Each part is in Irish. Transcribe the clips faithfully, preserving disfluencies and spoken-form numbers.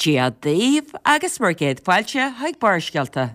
Dia daoibh agus bhur gcéad fáilte chuig Barrscéalta.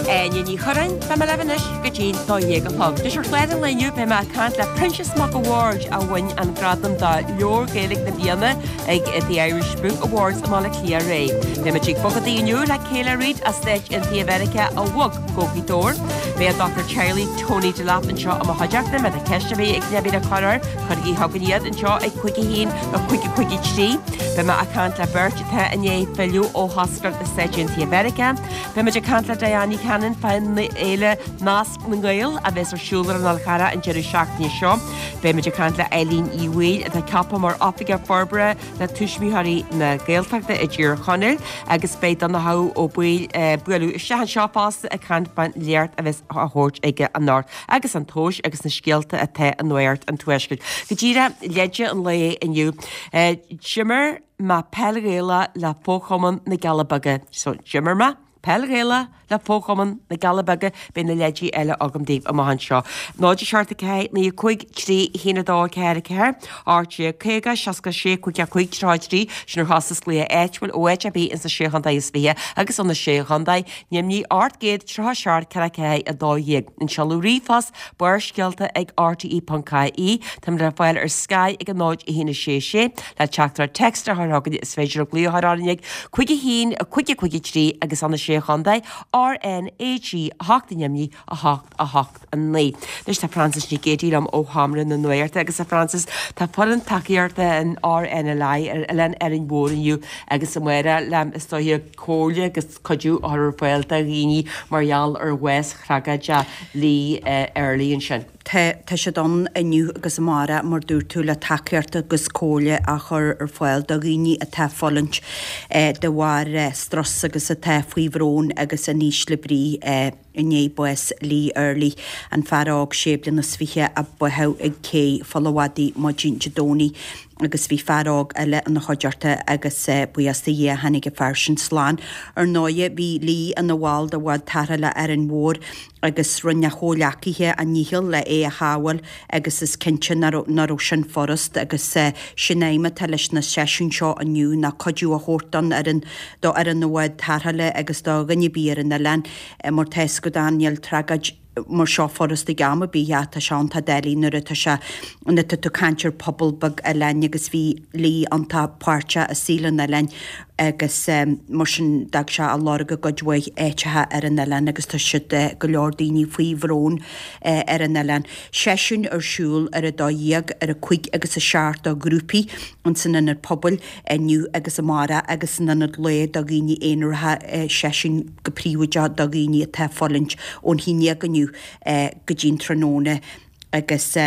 Áine Ní Churráin, beidh mé libh anois go dtí'n dó dhéag a chlog. Anois ar chlár an lae inniu beidh mé ag caint le Proinsias Mac a' Bhaird a bhain an gradam do Leabhar Gaeilge na Bliana ag The Irish Book Awards i mBaile Átha Cliath aréir. Beidh muid ag bogadaí inniu le Kayla Reid as Stáit Aontaithe Mheiriceá a bhog go Gaoth Dobhair. Beidh an Dochtúir Teaghlaigh Tony Delap anseo i mo chuideachta. Má tá ceist ar bith ag duine ar bith le cur air, cuirigí chugainn iad anseo ag cúig a haon a cúig a cúig a trí. Beidh mé ag caint le beirt atá i ndiaidh filleadh ó thoscairt na Stáit Aontaithe Mheiriceá. Beidh muid ag caint le Diane Ní Chanainn fán fhéile Nasc na nGael a bheas ar siúl ar an Fhál Charrach an deireadh seachtaine seo. Beidh muid ag caint le Eileen Uí Bhaoill atá ceaptha mar Oifigeach Forbartha le Tuismitheoirí na Gaeltachta i dTír Chonaill agus beidh Donnchadh Ó Baoill ag bualadh isteach anseo fosta ag caint fán léacht a bheas á thabhairt aige anocht agus an tomhais agus na scéalta atá i Nuacht an Tuaiscirt. Go díreach leide an lae inniu. D'imir mé peil Ghaelach le Fochumann na gCealla Beaga. So d'imir mé peil Ghaelach le Fochumann na gCealla Beaga, beidh na leidí eile agam daoibh amach anseo. náid a seacht a ceathair naoi a cúig trí a haon a dó a ceathair a ceathair, ocht déag caoga seasca sé cúig a cúig tríocha a trí, sin ar chostas glaoch áitiúil ó áit ar bith ins na Sé Chontae is Fiche agus ó na Sé Chontae, Nimhní ocht gcéad tríocha seacht ceathair ceathair a dó dhéag. An seoladh ríomhphost Barrscéalta ag rte ponc ie. Táimid le fáil ar Sky ag a náid a haon a sé sé le teachtaireacht text a chur chugainn is féidir glaoch a chur orainn ag cúig a haon a cúig a cúig a trí agus ó na Sé Chontae RnaG a hocht i nDoimní a hocht a hocht a naoi. Anois tá Frances Nic Géadaigh liom ó Sheomra na Nuachta agus a Frances tá foireann tacaíochta an RNLI ar Oileán Árainn Mhór inniu agus amárach le is dóiche comhairle agus cuidiú a chur ar fáil do dhaoine mar gheall ar bhás thragóideach Lee Earley ansin. Tá tá siad ann inniu agus amárach mar dúirt tú le tacaíocht agus comhairle a chur ar fáil do dhaoine atá ag fulaingt de bharr strus agus atá faoi bhrón agus in ísle brí i ndiaidh bás Lee Earley, an fear óg sé bliana is fiche a báthadh ag cé Pholl a' Mhadaidh maidin Dé Domhnaigh agus bhí fear óg eile ina chuideachta agus buíochas do Dhia tháinig an fear sin slán. Ar ndóighe bhí Lee ina bhall de bhád tarrthála Árainn Mhór agus rinne a chomhghleacaithe a ndícheall le é a shábháil agus is cinnte nach raibh sin furast agus sin aidhm atá leis na seisiúin seo inniu ná cuidiú a thabhairt don fhoireann, do fhoireann na bhád tarrthála agus do dhuine ar bith ar an oileán mar tá fhios agat níl tragóid mar seo furast ag am ar bith ach tá sé iontach doiligh nuair atá sé nuair atá tú ag caint ar pobal beag oileáin agus bhí Lee iontach páirteach i saol an oileáin agus mar sin d'fhág sé a lorg i gcuid mhaith áiteacha ar an oileán agus tá siad go leor daoine faoi bhrón ar an oileán. Seisiúin ar siúl ar a dó dhéag, ar a cúig agus a seacht do ghrúpaí ins an Ionad Pobail inniu agus amárach agus san Ionad Lae do dhaoine aonaracha, seisiúin go príobháideach do dhaoine atá ag fulaingt ón haon déag inniu go dtí an tráthnóna agus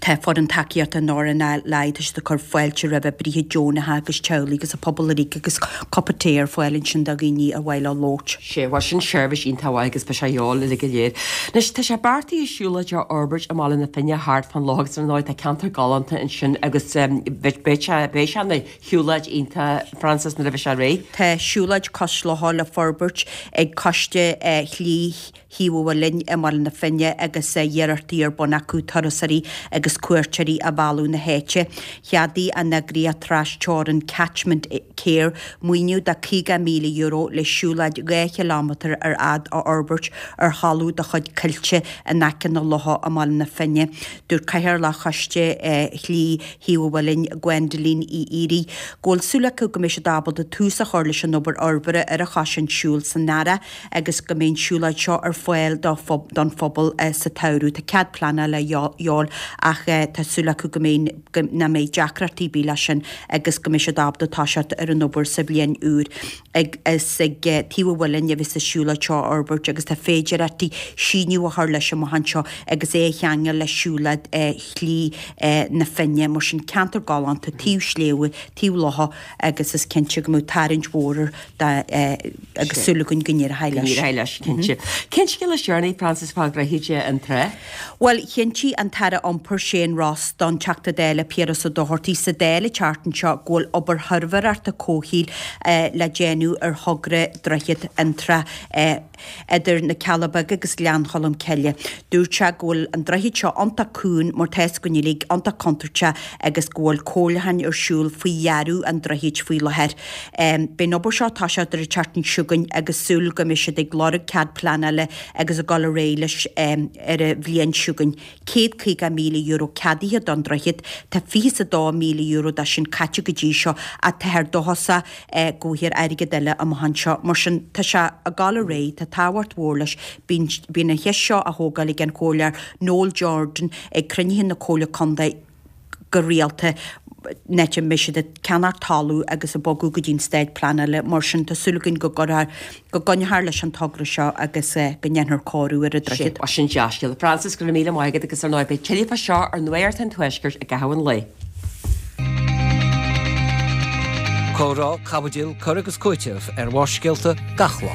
tá foireann tacaíochta an RNLI, tá siad ag cur fáilte roimh oibrithe deonacha agus teaghlaigh agus an pobal uilig agus cupa tae ar fáil ansin do dhaoine ar mhaith leo labhairt. Sea, bhuel sin seirbhís iontach mhaith agus beidh sé a dhíobháil uilig go léir. Anois, tá sé beartaithe siúlóid a fhorbairt i mBaile na Finne thart fán loch agus ar ndóigh tá ceantar galánta ansin agus beidh sé beidh sé ina shiúlóid iontach, Frances, nuair a bheidh sé réidh. Tá siúlóid cois locha le forbairt ag Coiste Shlí Thaobh an Mhuilinn i mBaile na Finne agus iarrachtaí ar bun acu turasóirí agus cuairteoirí a mhealladh na háite. Cheadaigh an eagraíocht tras-teorann Catchment Care maoiniú de caoga míle euro le siúlóid dhá chileámetar ar fhad a fhorbairt ar thalamh de chuid Coillte in aice na locha i mBaile na Finne. Dúirt Cathaoirleach Choiste Shlí Thaobh an Mhuilinn, Gwendoline Uí Fhiarraigh, go bhfuil súil acu go mbeidh siad ábalta tús a chur leis an obair fhorbartha ar an choisán siúil san earrach agus go mbeidh an siúlóid seo ar fáil don phobal sa tsamhradh. Tá cead pleanála a dhíobháil ach tá súil acu go mbeidh nach mbeidh deacrachtaí ar bith leis sin agus go mbeidh siad ábalta toiseacht ar an obair sa bhliain úr. Ag is ag taobh an mhuilinn a bheas an siúlóid seo á fhorbairt agus tá féidearthachtaí síneadh a chur leis amach anseo agus é a cheangal le siúlóid Shlí na Finne. Mar sin ceantar galánta taobh sléibhe, taobh locha agus is cinnte go mbeadh tarraingt mhór air agus súil againn go n-éireoidh leis. Go n-éireoidh leis, cinnte. Cén scéal is deireanaí, Frances, fá Dhroichead an Trá? Bhuel, chinntigh an tAire Iompair d'iompair Shane Ross don Teachta Dála Piaras Ó Dochartaigh sa Dáil an tseachtain seo go bhfuil obair shuirbhéireachta comhshaoil le déanamh ar thogra Droichead Fhionntrá idir na Cealla Beaga agus Gleann Cholm Cille. Dúirt sé go bhfuil an droichead seo iontach cúng mar tá fhios againn uilig, iontach contúirteach agus go bhfuil comhairliúcháin ar siúl faoi dhearadh an droichid faoi láthair. Beidh an obair seo ag toiseacht ar an tseachtain seo chugainn agus súil go mbeidh siad ag lorg cead pleanála agus ag dul ar aghaidh leis ar an bhliain seo chugainn. céad caoga míle euro ceadaithe don droichead, tá fiche is a dó míle euro de sin caite go dtí seo ach táthar dóchasach go bhfaighfear airgead eile amach anseo. Mar sin tá sé ag dul ar aghaidh, tá tábhacht mhór leis. Bíonn bíonn an cheist seo á thógáil ag an Chomhairleoir Noel Jordan ag cruinnithe na Comhairle Contae go rialta in áit a mbeidh siad ag ceannach talamh agus ag bogadh go dtí an staid pleanála. Mar sin tá súil againn go gcuirfear, go gcoinneofar leis an togra seo agus go ndéanfar cóiriú ar an droichead. Sea, sin dea-scéala. Frances, go raibh míle maith agat agus ar ndóigh beidh tuilleadh fá seo ar Nuacht an Tuaiscirt i gcaitheamh an lae. Comhrá, caibidil, cur agus cúiteamh ar Bharrscéalta gach lá.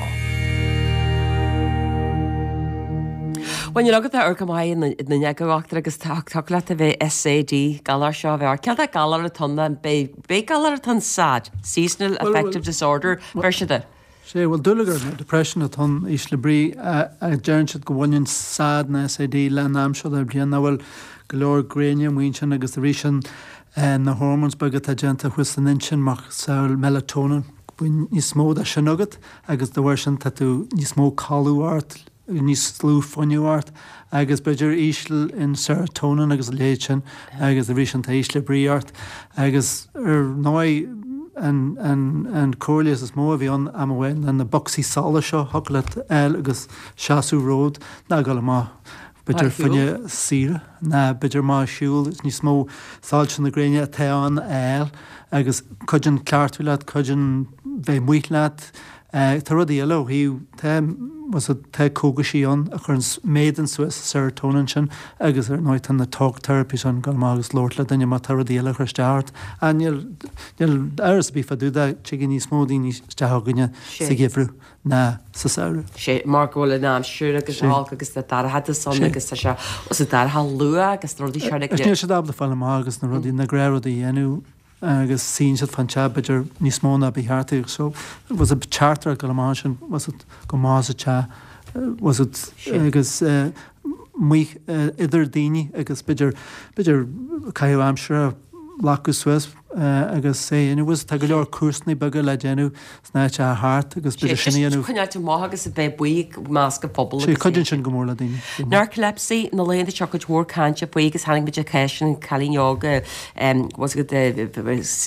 Bhuel, níl agat ach go maith na n-eagarthóir agus tá leat a bheith SAD, galar seo a bheith ort. Cén galar atá ann? Beidh galar atá ann SAD, Seasonal Affective Disorder, deir siad é. Sé, bhuel, dúlagar nó depression atá ann, ísle brí, a deireann siad go bhaineann SAD nó SAD le an am seo den bhliain, nach bhfuil go leor gréine amuigh ansin agus arís an na hormones beaga atá déanta thuas san intinn macasamhail melatonin, bíonn níos mó de sin agat agus de bharr sin tá tú níos mó codladh ort, níos lú fuinneamh ort agus b'fhéidir íseal in serotonin agus a leithéid sin agus arís sin tá ísle brí ort agus ar ndóigh an, an, an comhairle is mó a bhí ann am amháin ná na bocsaí solais seo thiocfadh leat a fháil agus seasamh romhat ná dul amach b'fhéidir fá choinne saoire ná b'fhéidir amach ag siúl is níos mó soilse na gréine atá ann a fháil agus cuidíonn cleachtadh leat, cuidíonn bheith amuigh leat. Tá rudaí eile ó thaobh, tá, bhfuil fhios tá cógaisí ann a chuireann, méadaíonn suas an serotonin sin agus ar ndóigh tá na talk therapies ann, dul amach agus labhairt le duine má tá rudaí eile ag cur isteach ort. Ach níl, níl amhras ar bith fá dtaobh de, tigeann níos mó daoine isteach chugainne sa gheimhreadh ná sa samhradh. Sé, mar go bhfuil an aimsir agus olc agus na dorchadas ann agus tá sé os an dorcha luath agus na rudaí seo Agus níl siad ábalta fáil amach agus na rudaí, na gnáthrudaí a dhéanamh agus suíonn siad fán teach b'fhéidir níos mó ná ba cheart dóibh. So, bhfuil fhios teachtaireacht dul amach ansin, bhfuil fhios go maith sa teach, bhfuil fhios agus amuigh idir daoine agus b'fhéidir, b'fhéidir caitheamh aimsire glacadh suas agus é a dhéanamh. Bhfuil fhios tá go leor cúrsanna beaga le déanamh sna áiteacha thart agus b'fhéidir sin a dhéanamh. Coinneáilt amach agus a bheith amuigh i measc an phobail agus. Cuidíonn sin go mór le daoine. Narcolepsy, na laethanta seo cuid mhór cainte faoi agus tháinig muid ar cás an cailín óg bhfuil fhios agat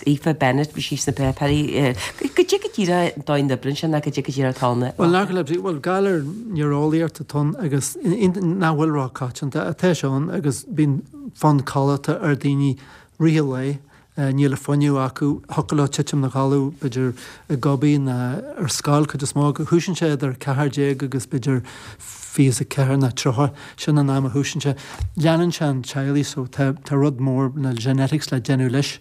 Aoife Bennett, bhí sí sna páipéirí. Goidé go díreach an dóigh a n-oibríonn sé ná goidé go díreach atá ann. Bhuel narcolepsy, bhuel galar néareolaíochta atá ann agus nach bhfuil róchoitianta atá sé ann agus bíonn fonn codlata ar daoine rith an lae, níl an fuinneamh acu, thiocfadh leo titim 'na gcodladh, b'fhéidir i gcupán nó ar scoil, cuid is mó acu. Thosaíonn sé idir ceathair déag agus b'fhéidir fiche is a ceathair nó tríocha, sin an am a thosaíonn sé. Leanann sé an teaghlaigh so tá tá rud mór na genetics le déanamh leis.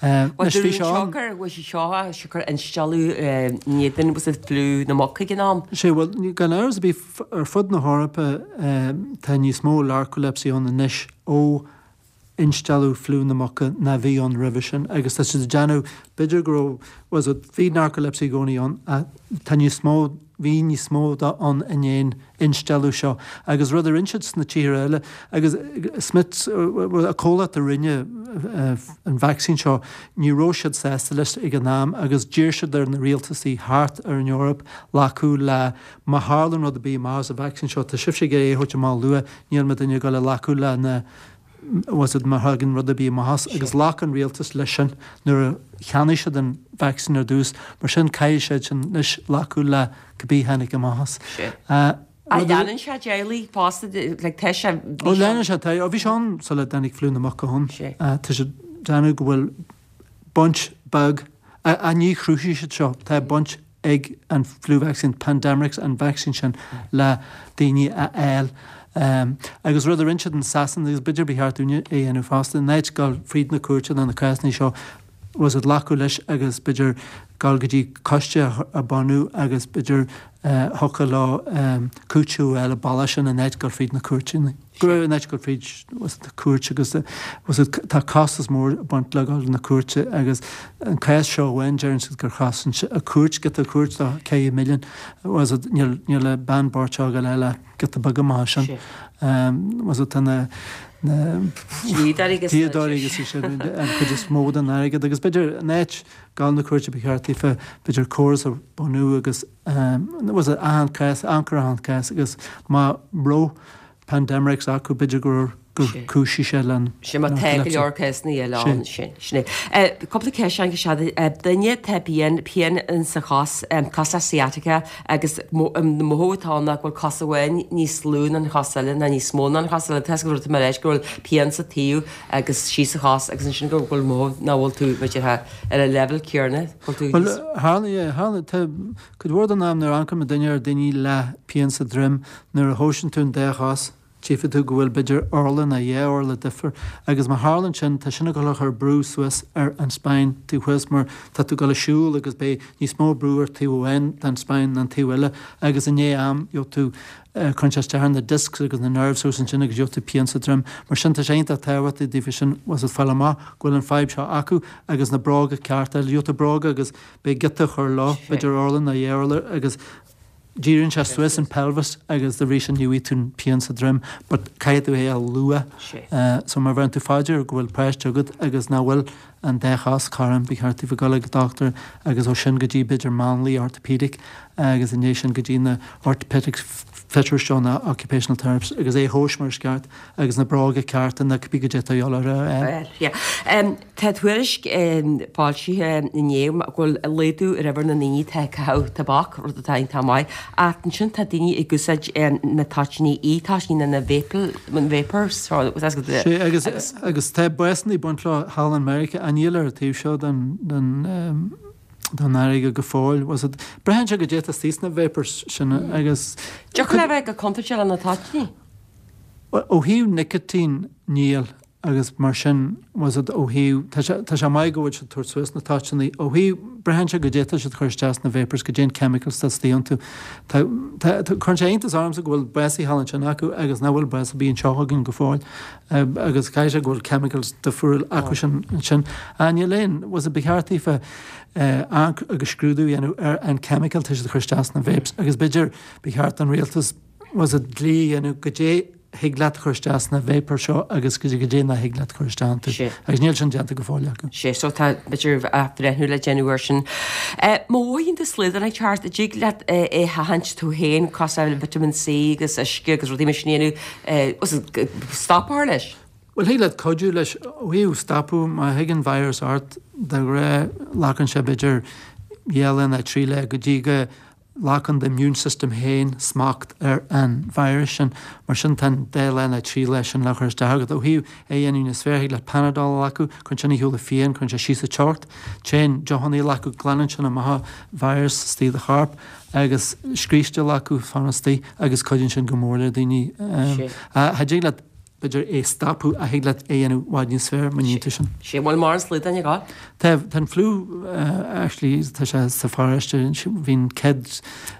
Anois bhí sé ann. Bhuel sé seo siocair instealladh in éadan was it fliú na muc ag an am? Sé bhuel gan amhras ar bith ar fud na hEorpa tá níos mó narcolepsy ann anois ó instealladh fliú na muca ná bhí ann roimhe sin agus tá siad ag déanamh, b'fhéidir go raibh, bhfuil fhios agat, bhí narcolepsy i gcónaí ann ach tá níos mó, bhí níos mó de ann i ndiaidh an instealladh seo agus rud a rinne siad sna tíortha eile agus Smith, an comhlacht a rinne an vacsaín seo, ní raibh siad sásta leis ag an am agus d'iarr siad ar na rialtasaí thart ar an Eoraip glacadh le má tharlann rud ar bith amach as an vacsaín seo, tá sibhse ag iarraidh é a thabhairt amach luath, níl muidinne ag dul a ghlacadh le na bhfuil fhios agat má thagann rud ar bith amach as, agus ghlac an rialtas leis sin nuair a cheannaigh siad an vacsaín ar dtús, mar sin caithfidh siad sin anois glacadh le cibé tháinig amach as. Ach leanann sé teaghlaigh fosta, like tá sé, bhí sé. Ó leanann sé, tá, ó bhí sé ann sula dtáinig fliú na muc ann. Tá siad ag déanamh go bhfuil baint beag, ach ní chruthaigh siad seo, tá baint ag an flu vaccine, Pandemrix, an vacsaín sin le daoine a fháil. Agus rud a rinne siad in Sasana, agus b'fhéidir ba cheart dúinne é a dhéanamh fosta, in áit dul fríd na cúirteanna, na cásanna seo, bhfuil fhios agat glacadh leis agus b'fhéidir dul go dtí coiste a bhunú agus b'fhéidir Thiocfadh leo cúiteamh a fháil an bealach sin in áit dul fríd na cúirteanna. Go raibh in áit dul fríd na cúirt agus tá costas mór ag baint le dul na cúirte agus an cás seo amháin deireann siad gur chosain a cúirt giota cúirt do ceithre milliún was it níl níl an bean bocht seo ag dul ach giota beag amach sin. Was it tá na na Dlíodóirí agus dlíodóirí agus sin an chuid is mó den airgead agus b'fhéidir in áit dul na cúirte ba cheart daofa b'fhéidir córas a bhunú agus was it achan cás amharc ar achan cás agus má raibh Pandemrix acu b'fhéidir gur gur chúisigh sé len Sin má tá go leor cásanna eile ann sin. Sin é. Cúpla ceist ann go duine tá pian pian in sa chos cos le sciatica agus na mothú atá ann ná go bhfuil cos amháin níos lú ná an chos eile ná níos mó ná an chos eile. Tá go bhfuil tú mar leis go bhfuil pian sa taobh agus síos sa chos agus ansin go bhfuil mothú nach bhfuil tú b'fhéidir ar an leibhéal céanna go bhfuil tú Bhuel tharla tharla tá cuid mhór den am nuair a amharcann duine ar daoine le pian sa droim nuair a thomhaiseann tú an dá chos tchífidh tú go bhfuil b'fhéidir orla nó dhá orla difir agus má tharlaíonn sin tá sin ag dul a chur brú suas ar an spine taobh thuas mar tá tú ag dul ag siúl agus beidh níos mó brú ar taobh amháin den spine ná an taobh eile agus i ndiaidh am gheobhaidh tú cuireann sé isteach ar na discs agus na nerves suas ansin agus gheobhaidh tú pian sa droim. Mar sin tá sé iontach tábhachtach daofa sin was it fáil amach go bhfuil an fadhb seo acu agus na bróga cearta gheobhaidh tú bróga agus beidh giota a chur leo b'fhéidir orla nó dhá orla agus díríonn sé suas an pelvis agus dá bhrí sin ní bhfaighidh tú an pian sa droim but caithfidh tú é a lua. So má bheireann tú fá dear go bhfuil páiste agat agus nach bhfuil an dá chos cothrom ba cheart daofa dul ag dochtúir agus ó sin go dtí b'fhéidir máinlia orthopedic agus i ndiaidh sin go dtí na orthopedic fitters seo na occupational therapists agus é a thomhas mar is ceart agus na bróga cearta na cibé goidé atá a dhíobháil orthu a fháil. Yeah. Um, tá tuairisc um, foilsithe inné go bhfuil laghdú ar uimhir na ndaoine atá ag caitheamh tobac, rud atá iontach maith, ach ansin tá daoine ag úsáid um, na toitíní, e-toitíní na vapor, vapors, so, Sé, agus, agus, agus tá básanna ag baint leo thall in Meiriceá, ach níl ar an taobh seo den, den um, den fharraige go fóill. Was it, braitheann sé goidé atá istigh sna vapors sin agus. Dtiocfadh le bheith go contúirteach le na toitíní? Ó thaobh nicotine níl agus mar sin was it ó thaobh, tá sé, tá sé maith go bhfuil siad ag tabhairt suas na toitíní. Ó thaobh, braitheann sé goidé atá siad ag cur isteach sna vapors, goidé an chemicals atá istigh iontu. Tá, tá, tá, cuireann sé iontas ormsa go bhfuil básaithe thall ansin acu agus nach bhfuil bás ar bith anseo againn go fóill. Agus caithfidh sé go bhfuil chemicals difriúil acu sin ansin. Ach níl aon, was it, ba cheart daofa amharc agus scrúdú a dhéanamh ar an chemical atá siad ag cur isteach sna vapes agus b'fhéidir ba cheart don rialtas was it dlí a dhéanamh goidé thig leat a chur isteach sna vapors seo agus goidé nach thig leat a chur isteach iontu. Agus níl sin déanta go fóill acu. Sé, so tá b'fhéidir athbhreithniú le déanamh air sin. Má mhothaíonn tú slaghdán ag teacht, an dtig leat é a sheachaint tú féin, cosúil le vitamin C agus uisce agus rudaí mar sin a dhéanamh, was it stop a chur leis? Bhuel, thig leat cuidiú leis ó thaobh stopadh, má thig an virus ort, de ghnáth glacann sé b'fhéidir dhá lá nó trí lá go dtí go nglacann d'immune system féin smacht ar an virus sin. Mar sin tá an dá lá nó trí lá sin le cur isteach agat. Ó thaobh é a dhéanamh níos fearr, thig leat Panadol a ghlacadh, cuireann sin ar shiúl an phian, cuireann sé síos an teocht. Téann deochanna a ghlacadh, glanann sin amach an virus istigh i do chorp agus scríste a ghlacadh, fanacht istigh agus cuidíonn sin go mór le daoine. Cha dtig leat b'fhéidir é stopadh ach thig leat é a dhéanamh i bhfad níos fearr má níonn tú sin. Sé bhfuil mórán slaghdán ag gabháil? Tá, tá an fliú actually tá sé sa pharóiste, bhí an chéad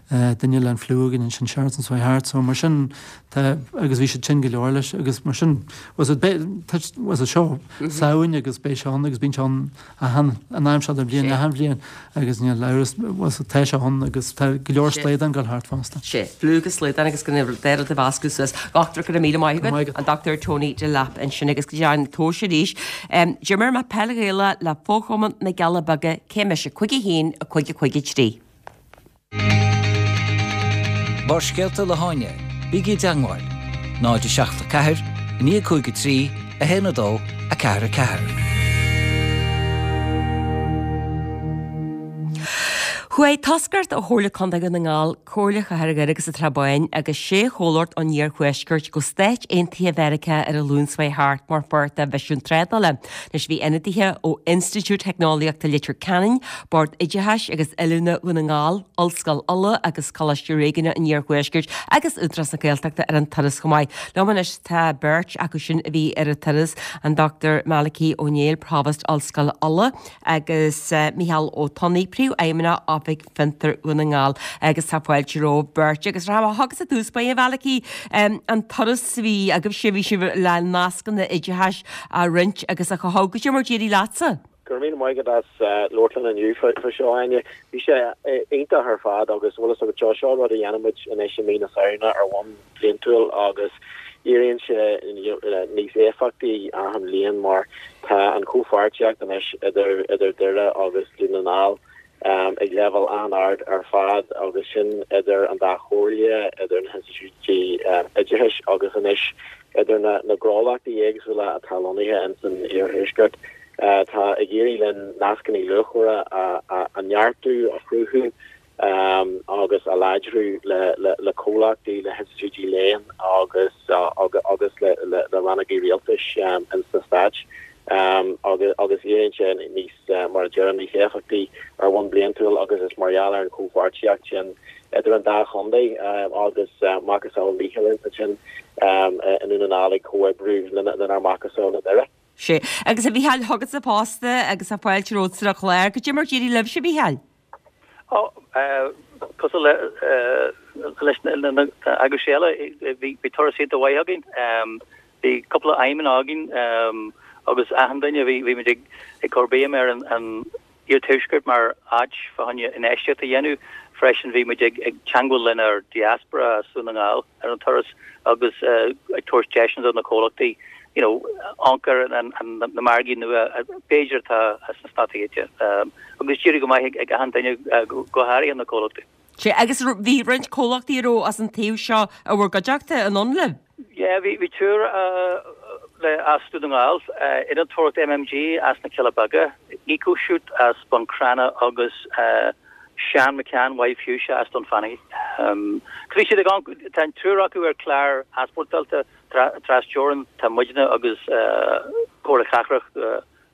duine le an fliú againn ansin seachtain seo thart so mar sin tá agus bhí siad tinn go leor leis agus mar sin was it tá was it seo Samhain agus beidh sé ann agus bíonn sé ann achan an am seo den bhliain achan bhliain agus níl amhras was it tá sé ann agus tá go leor slaghdán ag gabháil thart fosta. Sé, fliú agus slaghdán agus go deireadh do mheascadh suas. Dochtúir go raibh míle maith agat, an Dochtúir Tony Delap ansin agus go dtí an tomhas arís. D'imir mé peil Ghaelach le Fo-Chumann na gCealla Beaga, cé mise, cúig a haon, a cúig a cúig a trí. Barrscéalta le hÁine, bígí i dteangmháil, náid a seacht a ceathair, a naoi a cúig a trí, a haon a dó, a ceathair a ceathair. Chuaigh toscaireacht ó Chomhairle Contae Dhún na nGall, Comhairle Chathair Dhoire agus an Trá Báin agus sé chomhlacht ón iarthuaisceart go Stáit Aontaithe Mheiriceá ar an Luan seo chuaigh thart mar pháirt de mhisiún trádála. Anois bhí ionadaithe ó Institiúid Teicneolaíochta Leitir Ceanainn, Bord Oideachais agus Oiliúna Dhún na nGall, Ollscoil Uladh agus Coláiste Réigiúnach an Iarthuaiscirt agus Údarás na Gaeltachta ar an turas chomh maith. Liom anois tá beirt acu sin a bhí ar an turas, an Dochtúir Malachy Ó Néill, Provost Ollscoil Uladh agus Micheál Ó Tonnaigh, Príomhfheidhmeannach Oifig Oifig Fiontar Dhún na nGall agus tá fáilte romhaibh beirt agus rachaidh mé chugatsa i dtús báire a Mhalachy an turas a bhí agaibhse bhí sibh le nascanna oideachais a roinnt agus a chothú goidé mar d'éirigh leatsa. Go raibh míle maith agat as labhairt linn inniu faoi seo Áine. Bhí sé iontach ar fad agus bhfuil fhios agat seo seo rud a dhéanann muid anois i mí na Samhna ar bhonn bliantúil agus éiríonn sé níos éifeachtaí achan bhliain mar tá an chomhpháirtíocht anois idir idir Doire agus Dún na nGall ag leibhéal an-ard ar fad agus sin idir an dá chomhairle, idir na hinstitiúidí oideachais agus anois idir na na gnólachtaí éagsúla atá lonnaithe ins an iarthuaisceart. Tá ag éirí linn nascanna luachmhara a a neartú, a chruthú agus a láidriú le le le comhlachtaí, le hinstitiúidí léinn agus agus le le le rannógaí rialtais ins na Stáit agus agus éiríonn sé níos mar a deirim níos éifeachtaí ar bhonn bliantúil agus is mar gheall ar an chomhpháirtíocht sin idir an dá chontae agus macasamhail Mhíchíl ansin i nDún na nGall ag comhoibriú lenár macasamhail i nDoire. Sea. Agus a Mhícheáil, chugatsa fosta agus tá fáilte romhat ar an chlár. Goidé mar d'éirigh libhse, a Mhícheáil? Ó, cosúil le leis na eagrais eile, bhí bhí turas iontach mhaith againn. Bhí cúpla aidhmeanna againn agus achan duine bhí bhí muid ag ag cur béim ar an an iarthuaisceart mar áit fá choinne infheistíocht a dhéanamh. Freisin bhí muid ag ag teagmháil lenár diaspora as Dún na nGall ar an turas agus ag tabhairt deiseanna do na comhlachtaí you know, amharc ar an, an, na margaí nua b'fhéidir atá sna Stáit Aontaithe. Agus d'éirigh go maith ag achan duine go háirithe na comhlachtaí. Sea, agus bhí roinnt comhlachtaí a raibh as an taobh seo i bhur gcuideachta anonn libh? Yeah, bhí bhí triúr le as Dún na nGall, Innealtóireacht MMG as na Cealla Beaga, EcoShoot as Bun Cranncha agus Sean McCann Wild Fuchsia as Dún Fanaí. Um, bhí siad ag tá an triúr acu ar chlár easpórtáilte trasteorann tá muidne agus Comhairle Cathrach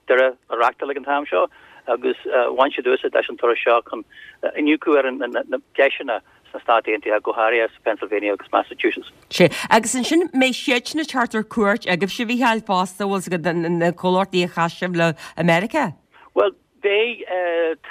Doire a reáchtáil ag an t-am seo agus bhain siad úsáid as an turas seo chun iniúchadh ar na deiseanna sna Stáit Aontaithe go háirithe Pennsylvania agus Massachusetts. Sea, agus ansin mbeidh siadsan ag teacht ar cuairt agaibhse a Mhícheáil fosta bhfuil siad na comhlachtaí a chas sibh le America? Well beidh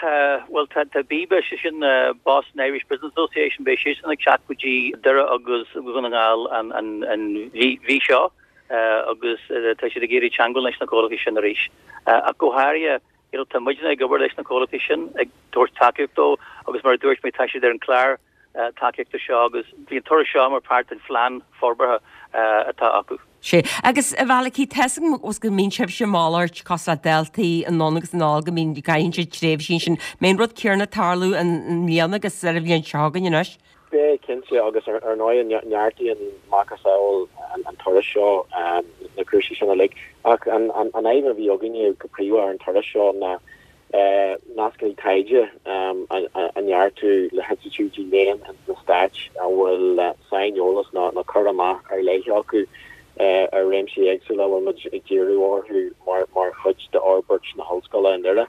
tá well tá tá BIBA sé sin Boston Irish Business Association beidh siadsan ag teacht go dtí Doire agus Dún na nGall an an an mhí seo agus tá siad ag iarraidh teagmháil leis na comhlachtaí sin arís. Ach go háirithe you know, tá muidne ag obair leis na comhlachtaí sin ag tabhairt tacaíocht dóibh agus mar a dúirt mé tá siad ar an chlár tacaíochta seo agus bhí an turas seo mar páirt den phlean forbartha atá acu. Sea, agus a Mhalachy tá a fhios agam go mbíonn sibhse malairt cosúil le daltaí anonn agus anall go mbíonn gcaitheann siad tréimhsí sin. Mbeidh an rud céanna ag tarlú i mbliana agus ar an bhliain seo chugainn anois? Beidh cinnte agus ar ndóigh neartaíonn macasamhail an turas seo na cúrsaí sin uilig ach an an aidhm a bhí againne go príomha ar an turas seo ná nascanna taighde a neartú le hinstitiúidí léinn ins na Stáit a bhfuil saineolas nó nó cur amach ar leith acu ar réimsí éagsúla bhfuil muid ag díriú orthu mar mar chuid d'fhorbairt na hollscoile i nDoire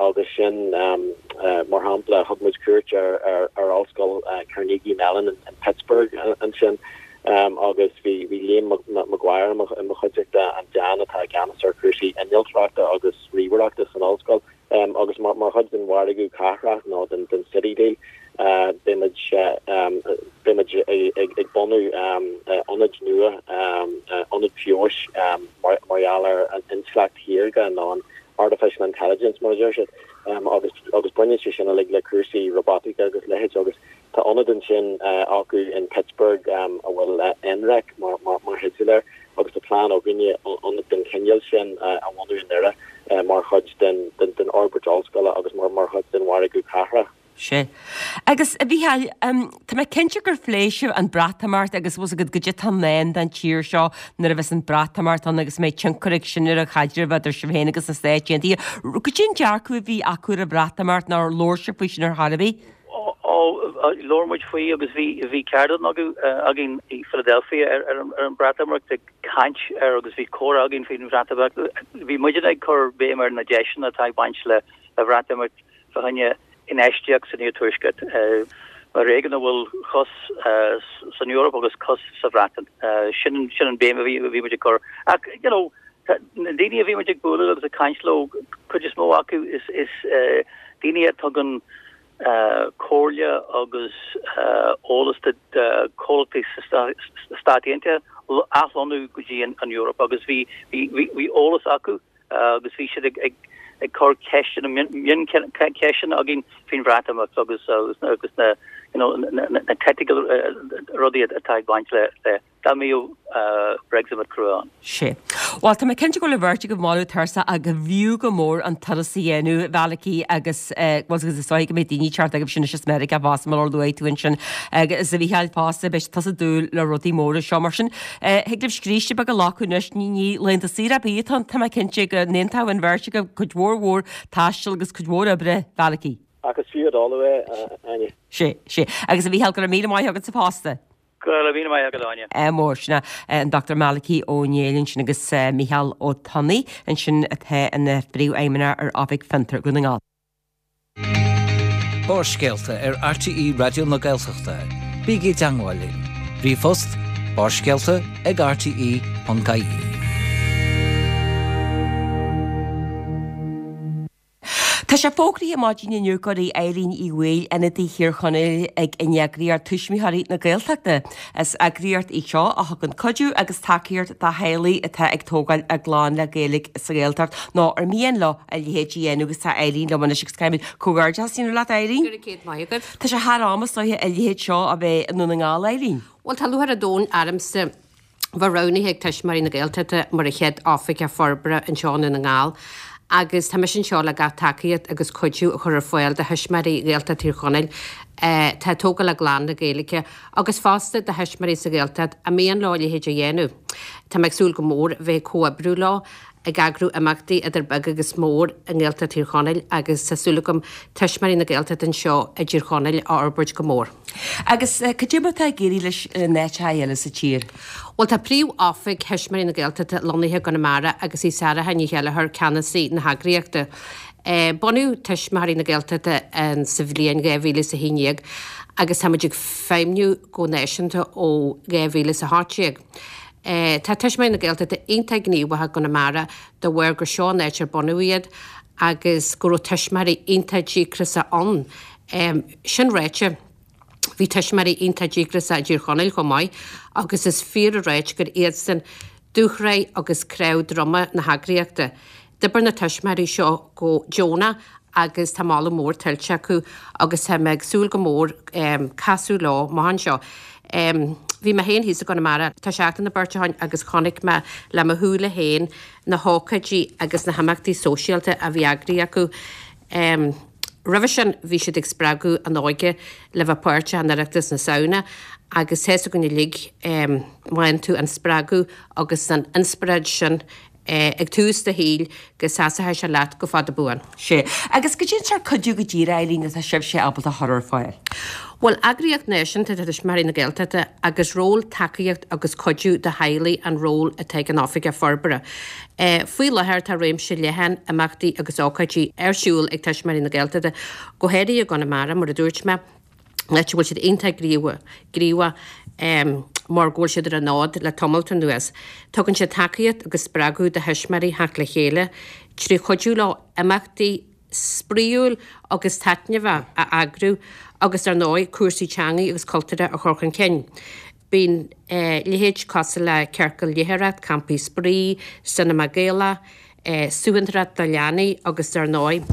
agus sin mar shampla thug muid cuairt ar ar ar ollscoil Carnegie Mellon in, in Pittsburgh ansin agus bhí bhí Liam Maguire i mo chuideachta an dean atá i gceannas ar chúrsaí innealtóireachta agus ríomhaireachta san ollscoil agus mar mar chuid den mhargadh cathrach nó den den City Deal beimid beimid ag ag bunú ionad nua ionad feabhais mar mar gheall ar an intleacht shaorga nó an artificial intelligence mar a deir siad agus agus baineann sé sin uilig le cúrsaí robotica agus leithéid agus tá ionad ansin acu in Pittsburgh a bhfuil NREC mar mar mar theideal air agus tá plean againne ionad den chineál sin a bhunú i nDoire mar chuid den den den fhorbairt ollscoile agus mar mar chuid den mhargadh cathrach. Sea. Agus a Mhícheáil, tá mé cinnte gur phléigh sibh an Breatimeacht agus bhfuil a fhios agat goidé atá i ndán don tír seo nuair a bheas an Breatimeacht ann agus mbeidh tionchar ag sin ar an chaidreamh idir sibh féin agus na Stáit Aontaithe. Goidé an dearcadh a bhí acu ar an Bhreatimeacht nár labhair sibh faoi sin ar chor ar bith? Ó labhair muid faoi agus bhí bhí ceardlann againn i Philadelphia ar ar ar an Breatimeacht ag caint ar agus bhí comhrá againn faoin Bhreatimeacht. Bhí muidne ag cur béim ar na deiseanna atá ag baint le le Bhreatimeacht fá choinne infheistíocht san iarthuaisceart. Mar éigean a bhfuil cos san Eoraip agus cos sa Bhreatain. Sin sin an béim a bhí bhí muid ag cur. Ach you know, na daoine a bhí muid ag bualadh agus ag caint leo cuid is mó acu is is daoine a tugann comhairle agus eolas do chomhlachtaí sna Stáit Aontaithe athlonnú go dtí an Eoraip agus bhí bhí eolas acu agus bhí siad ag ag ag cur ceisteanna mioncheisteanna againn faoin Bhreatimeacht agus agus na you know na technical rudaí atá ag baint le le dá mbeadh Brexit crua ann. Sé. Well tá mé cinnte go bhfuil an bheirt agaibh moladh tuirseach ach b'fhiú go mór an turas a dhéanamh Mhalachy agus well agus is dóigh go mbeidh daoine teacht agaibh sin is Meiriceá fosta mar luaigh tú ansin agus a Mhícheáil fosta beidh tusa ag dúil le rudaí móra seo mar sin thig libh scríste beag a ghlacadh anois ní ní laethanta saoire ar bith atá tá mé cinnte go n-aontóidh an bheirt agaibh cuid mhór mhór taistil agus cuid mhór oibre Mhalachy. Agus fiú a dul é Áine. Sé sé agus a Mhícheáil go raibh míle maith agat sa fosta. Go raibh míle maith agat Áine. Mór sin an Dr Malachy Ó Néill ansin agus Micheál Ó Tonnaigh ansin atá ina phríomhfheidhmeannach ar Oifig Fiontar Dhún na nGall. Barrscéalta ar RTÉ Raidió na Gaeltachta. Bígí i dteagmháil linn. Ríomhphost barrscéalta ag rte.ie. Tá sé fógraithe maidin inniu gurb í Eileen Uí Bhaoill ionadaí Thír Chonaill ag an eagraíocht Tuismitheoirí na Gaeltachta. Is eagraíocht í seo a thugann cuidiú agus tacaíocht do theaghlaigh atá ag tógáil a gclann le Gaeilge sa Ghaeltacht nó ar mian leo a leithéid a dhéanamh agus tá Eileen liom anois agus caithfimid comhghairdeas a dhéanamh leat Eileen. Go raibh céad maith agat. Tá sé thar am is dóiche a leithéid seo a bheith i nDún na nGall Eileen. Bhuel tá lúcháir an domhain ormsa bheith roghnaithe ag Tuismitheoirí na Gaeltachta mar an chéad oifigeach forbartha anseo i nDún na nGall agus tá mise anseo le gach tacaíocht agus cuidiú a chur ar fáil do thuismitheoirí Ghaeltacht Thír Chonaill atá ag tógáil a gclann le Gaeilge agus fosta do thuismitheoirí sa Ghaeltacht a mian leo a leithéid a dhéanamh. Tá mé ag súil go mór bheith ag comhoibriú leo ag eagrú imeachtaí idir beag agus mór i nGaeltacht Thír Chonaill agus tá súil agam Tuismitheoirí na Gaeltachta anseo i dTír Chonaill a fhorbairt go mór. Agus cad é mar atá ag éirí leis in áiteacha eile sa tír? Bhuel tá príomh-oifig Thuismitheoirí na Gaeltachta lonnaithe i gConamara agus í Sarah Ní Cheilleachair ceannasaí na heagraíochta. Bunaíodh Tuismitheoirí na Gaeltachta sa bhliain dhá mhíle is a haon déag agus tá muid ag feidhmniú go náisiúnta ó dhá mhíle is a hocht déag. Tá Tuismitheoirí na Gaeltachta iontach gníomhach i gConamara de bharr gur seo an áit ar bunaíodh iad agus go raibh tuismitheoirí iontach díograiseach ann. Sin ráite, bhí tuismitheoirí iontach díograiseach i dTír Chonaill chomh maith agus is fíor a ráit gur iadsan dúshraith agus cnámh droma na heagraíochta. D'oibir na tuismitheoirí seo go deonach agus tá moladh mór tuillte acu agus tá mé ag súil go mór casadh leo amach anseo. Bhí mé féin thíos i gConamara tá seachtain nó beirt ó shin agus chonaic mé le mo shúile féin na hócáidí agus na himeachtaí sóisialta a bhí eagraithe acu. Roimhe sin bhí siad ag spreagadh an óige le bheith páirteach in Oireachtas na Samhna agus tá's againn uilig má fhaigheann tú an spreagadh agus an inspioráid sin ag tús do shaoil go seasfaidh sé leat go fada buan. Sea. Agus cad é an sórt cuidiú go díreach, Eileen, atá sibhse ábalta a chur ar fáil? Bhuel, eagraíocht náisiúnta atá Tuismitheoirí na Gaeltachta agus ról tacaíocht agus cuidiú do theaghlaigh an ról atá ag an Oifigeach Forbartha. Faoi láthair tá réimse leathan imeachtaí agus ócáidí ar siúl ag Tuismitheoirí na Gaeltachta, go háirithe i gConamara, mar a dúirt mé. áit a bhfuil siad iontach gníomhach mar go bhfuil siad ar an fhód le tamalt anuas. Tugann siad tacaíocht agus spreagadh do thuismitheoirí theacht le chéile trí chuidiú leo imeachtaí spraíúil agus taitneamhach a eagrú agus ar ndóigh cúrsaí teangaí agus cultúrtha a chur chun cinn. Bíonn leithéid cosúil le ciorcal léitheoireacht, campaí spraoi, cinema Gaelach, suantracht do leanaí agus ar ndóigh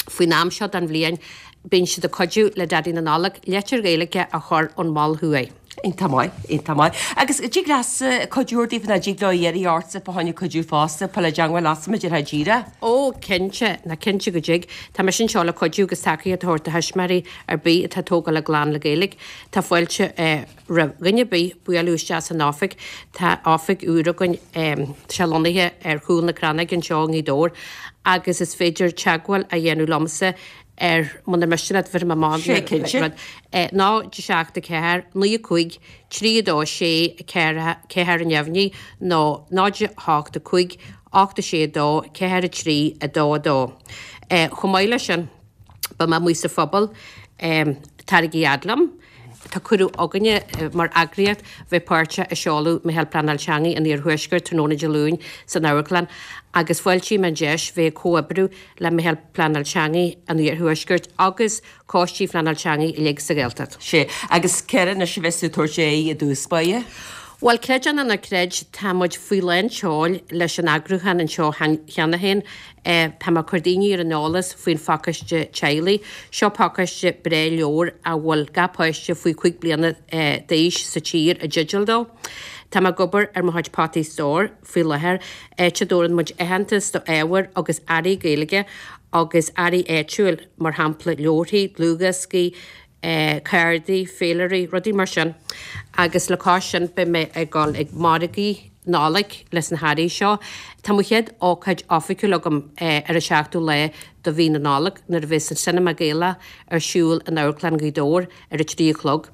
faoin am seo den bhliain bíonn siad ag cuidiú le Daidí na Nollag litir Ghaeilge a chur ón Mol Thuaidh. Iontach maith, iontach maith. Agus dtig leatsa cuidiú ar daofa nó dtig leo iarraidh ortsa fá choinne cuidiú fosta, fáil i dteangmháil leatsa mar déarfá díreach? Ó, cinnte, ná cinnte go dtig. Tá mise anseo le cuidiú agus tacaíocht a thabhairt do thuismitheoirí ar bith atá ag tógáil a gclann le Gaeilge. Tá fáilte roimh dhuine ar bith bualadh isteach san oifig. Tá oifig úr againn, tá sé lonnaithe ar chúl na Crannóige anseo i nGaoth Dobhair agus is féidir teagmháil a dhéanamh liomsa ar, muna miste leat, bhéarfaidh mé amach Sé cinnte. rud, náid seacht a ceathair, naoi a cúig, trí a dó sé, ceathair, ceathair ar neamhní nó náid a hocht a cúig, ocht a sé a dó, ceathair a trí, a dó a dó. Chomh maith leis sin, beidh mé amuigh sa phobal, taraigí fhad liom, Tá cuireadh againne mar eagraíocht bheith páirteach i seoladh Meitheal Pleanáil Teanga an Iarthuaiscirt tráthnóna Dé Luain san amharclann agus fáiltím an deis bheith ag comhoibriú le Meitheal Pleanáil Teanga an Iarthuaiscirt agus coistí phleanáil teanga uilig sa Ghaeltacht. Sea, agus céard anois a bheas tú ag tabhairt aghaidh i dtús báire? Bhuel, creid é nó ná creid, tá muid faoi lán tseoil leis an eagrúchán anseo cheana féin. Tá mé ag cur daoine ar an eolas faoin phacáiste teaghlaigh. Seo pacáiste breá leabhar a bhfuil gach páiste faoi chúig bliana d'aois sa tír i dteideal dó. Tá mé ag obair ar mo chuid potaí stóir faoi láthair, áit a dtabharann muid aitheantas do ábhair agus earraí Gaeilge agus earraí áitiúil, mar shampla leabharthaí, dlúthdhioscaí, cártaí, féilirí, rudaí mar sin. Agus le cois sin beidh mé ag dul ag margaí Nollag leis na hearraí seo. Tá mo chéad ócáid oifigiúil agam ar an seachtú lá de mhí na Nollag nuair a bheas an Cinema Gaelach ar siúl in Amharclann Ghaoth Dobhair ar a trí a chlog.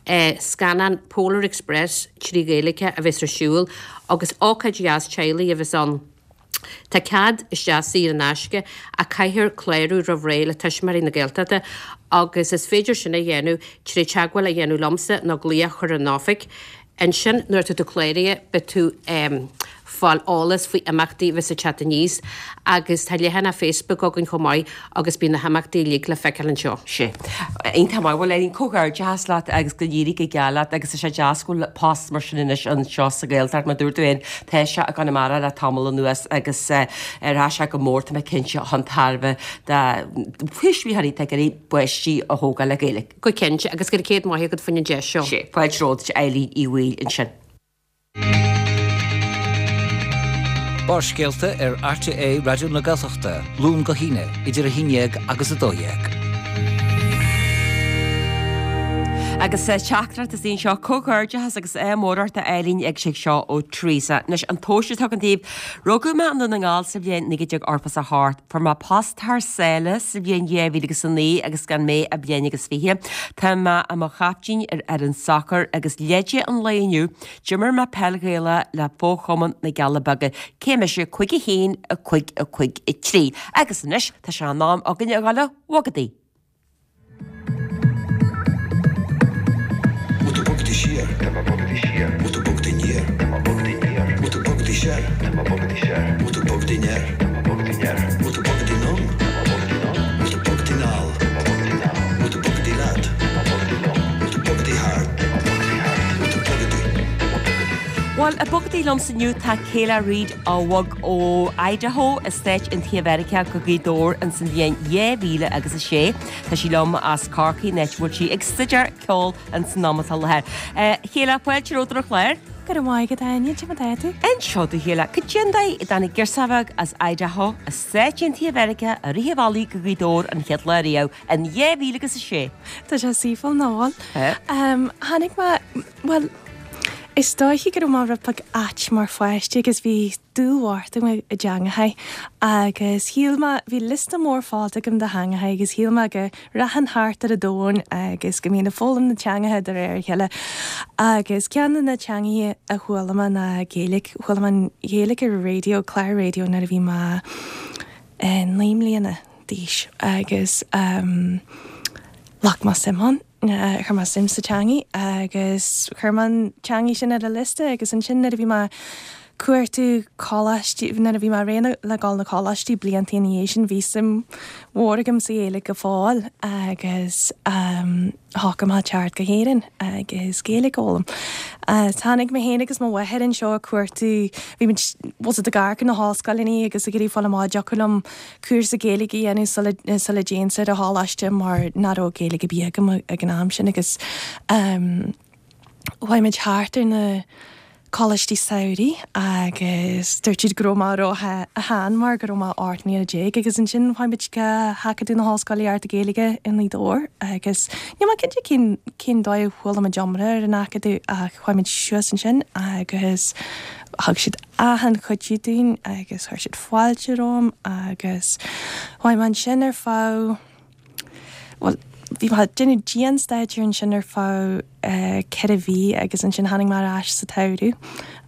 Scannán Polar Express trí Ghaeilge a bheas ar siúl agus ócáid dheas teaghlaigh a bheas ann. Tá cead isteach saor in aisce ach caithfear clárú roimh ré le Tuismitheoirí na Gaeltachta agus is féidir sin a dhéanamh trí teagmháil a dhéanamh liomsa nó glaoch a chur ar an oifig. Ansin nuair atá tú cláraithe beidh tú fáil eolas faoi imeachtaí a bheas ag teacht aníos agus tá leathanach Facebook againn chomh maith agus bíonn na himeachtaí uilig le feiceáil anseo. Sea. Iontach maith. Bhuel, Eileen, comhghairdeachas leat agus go n-éirí go geal leat agus tá sé deas go bhfuil post mar sin anois anseo sa Ghaeltacht. Mar dúirt tú féin, tá sé i gConamara le tamall anuas agus rachaidh sé go mór, tá mé cinnte, chun tairbhe do thuismitheoirí atá ag iarraidh páistí a thógáil le Gaeilge. Go cinnte, agus go raibh céad maith agat faoin deis seo. Sea. Fáilte romhat, Eileen Uí Bhaoill ansin. Barrscéalta ar RTÉ Raidió na Gaeltachta, Luan go hAoine, idir a haon dhéag agus a dó dhéag. Agus teachtaireacht is í anseo, Comhghairdeachas agus ádh mór ort a Eileen ag sé seo ó Teresa. Anois an tomhas atá agam daoibh, rugadh mé i nDún na nGall sa bhliain naoi déag ochtó is a hocht. Fuair mé post thar sáile sa bhliain dhá mhíle agus a naoi agus gan mé ach bliain agus fiche. Tá mé i mo chaiptín ar fhoireann sacair agus leide an lae inniu, D'imir mé peil Ghaelach le fo-chumann na gCealla Beaga, cé mise cúig a haon, a cúig, a cúig, a trí. Agus anois tá sé in am againn a dhul a bhogadaí. Bhfuil tú bogadaí siar? Tá mé bogadaí siar. Bhfuil tú bogadaí aniar? Tá mé bogadaí aniar. Bhfuil tú bogadaí soir? Tá mé bogadaí soir. Bhfuil tú bogadaí anoir? Tá mé bogadaí anoir. Bhfuil tú bogadaí anonn? Tá mé bogadaí anonn. Bhfuil tú bogadaí anall? Tá mé bogadaí anall. Bhfuil tú bogadaí leat? Tá mé bogadaí liom. Bhfuil tú bogadaí thart? Tá mé bogadaí thart. Bhfuil tú bogadaí? Tá mé bogadaí. Bhuel, ag bogadaí liomsa inniu tá Kayla Reid a bhog ó Idaho i Stáit Aontaithe Mheiriceá go Gaoth Dobhair ins an bhliain dhá mhíle agus a sé. Tá sí liom as Corcaigh, an áit a bhfuil sí ag staidéar ceoil ins an am atá i láthair. Kayla, fáilte romhat ar an chlár. Go raibh maith agat, Áine. Cad é mar atá tú? Anseo do Kayla, cad é an dóigh a dtáinig girseach bheag as Idaho i Stáit Aontaithe Mheiriceá i rith an bhealaigh go Gaoth Dobhair an chéad lá riamh in dhá mhíle agus a sé? Tá sé saoithiúil, nach bhfuil? Tháinig mé, bhuel, is dóiche go raibh mé rud beag ait mar pháiste agus bhí dúil mhór agam i dteangacha agus shíl mé, bhí liosta mór fada agam de theangacha agus shíl mé go rachainn thart ar an domhan agus go mbínn ag foghlaim na teangacha de réir a chéile agus ceann de na teangacha a chuala mé ná Gaeilge. Chuala mé an Ghaeilge ar raidió, clár raidió nuair a bhí mé naoi mbliana d'aois agus ghlac mé suim ann. Chuir mé suim sa teangaidh agus chuir mé an teangaidh sin ar an liosta agus ansin nuair a bhí mé ag cuartú coláistí, nuair a bhí mé réidh le dul na coláistí blianta ina dhiaidh sin bhí suim mhór agam sa Ghaeilge go fóill agus shocraigh mé teacht go hÉirinn agus Gaeilge a fhoghlaim. Tháinig mé féin agus mo mháthair anseo ag cuartú, bhí muid bhfuil ag amharc ar na hollscoileanna agus ag iarraidh fáil amach an dtiocfadh liom cúrsa Gaeilge a dhéanamh sula sula dtéinnse ar an choláiste mar nach raibh Gaeilge ar bith agam ag an am sin agus chuaigh muid thart ar na coláistí samhraidh agus dúirt siad go raibh mé ró-shean mar go raibh mé ocht mbliana déag agus ansin chuaigh muid go hAcadamh na hOllscolaíochta Gaeilge i nGaoth Dobhair agus níl mé cinnte cén cén dóigh a chuala muid iomrá ar an Acadamh ach chuaigh muid suas ansin agus Thug siad achan chuidiú dúinn agus chuir siad fáilte romham agus chuaigh mé ansin ar feadh, bhuel, bhí mé ag déanamh dianstaidéir ansin ar feadh ceithre mhí agus ansin tháinig mé ar ais sa tsamhradh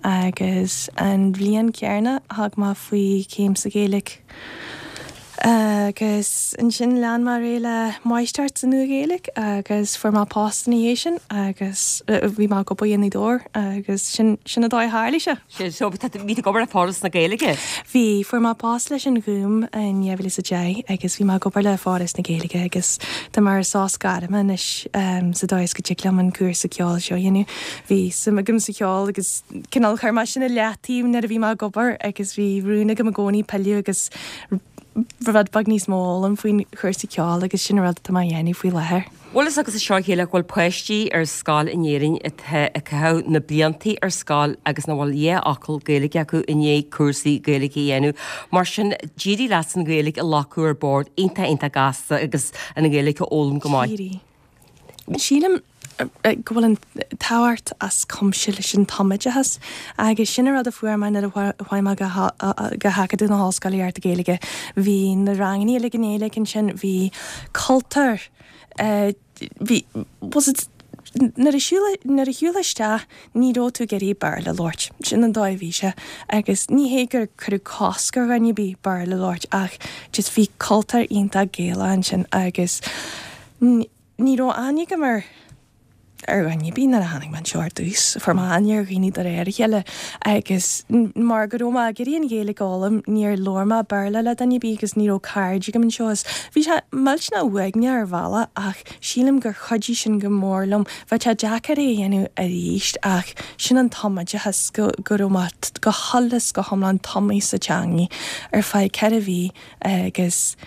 agus an bhliain chéanna thug mé faoi chéim sa Ghaeilge Agus ansin lean mé ar aghaidh le máistreacht sa Nua-Ghaeilge agus fuair mé post ina dhiaidh sin agus bhí mé ag obair i nGaoth Dobhair agus sin sin an dóigh a tharlaigh sé. Sin so bhí tú ag obair le Foras na Gaeilge? Bhí, fuair mé post leis an Ghúm in dhá mhíle is a deich agus bhí mé ag obair le Foras na Gaeilge agus tá mé ar sos gairme anois sa dóigh is go dtig liom an cúrsa ceoil seo a dhéanamh. Bhí suim agam sa cheol agus cineál chuir mé sin i leataobh nuair a bhí mé ag obair agus bhí rún agam i gcónaí pilleadh agus rud beag níos mó a fhoghlaim faoin chúrsa ceoil agus sin an rud atá mé a dhéanamh faoi láthair. Bhfuil fhios agat a Sheilí go bhfuil páistí ar scoil in Éirinn atá ag caitheamh na bliantaí ar scoil agus nach bhfuil dhá fhocal Gaeilge acu i ndiaidh cúrsaí Gaeilge a dhéanamh. Mar sin, d'éirigh leat an Ghaeilge a ghlacadh ar bord iontach iontach gasta agus an Ghaeilge a fhoghlaim go maith. D'éirigh. Sílim go bhfuil an tábhacht as cuimse leis an tumoideachas agus sin an rud a fuair mé nuair a chuaigh mé go hAcadamh na hOllscolaíochta Gaeilge. Bhí na ranganna uilig i nGaeilge ansin, bhí cultúr, bhí, was it, nuair a shiúil, nuair a shiúil isteach ní raibh tú ag iarraidh Béarla a labhairt, sin an dóigh a bhí sé agus ní hé gur cuireadh cosc ar dhuine ar bith Béarla a labhairt ach just bhí cultúr iontach Gaelach ansin agus ní raibh aithne agam ar ar dhuine ar bith nuair a tháinig mé anseo ar dtús. Fuair mé aithne ar dhaoine de réir a chéile agus mar go raibh mé ag iarraidh an Ghaeilge a fhoghlaim níor labhair mé Béarla le duine ar bith agus ní raibh cairde agam anseo is bhí sé millteanach uaigneach ar bhealach ach sílim gur chuidigh sin go mór liom. Bheadh sé deacair é a dhéanamh arís ach sin an tumoideachas go go raibh mé go huile is go hiomlán tumtha sa teangaidh ar feadh ceithre mhí agus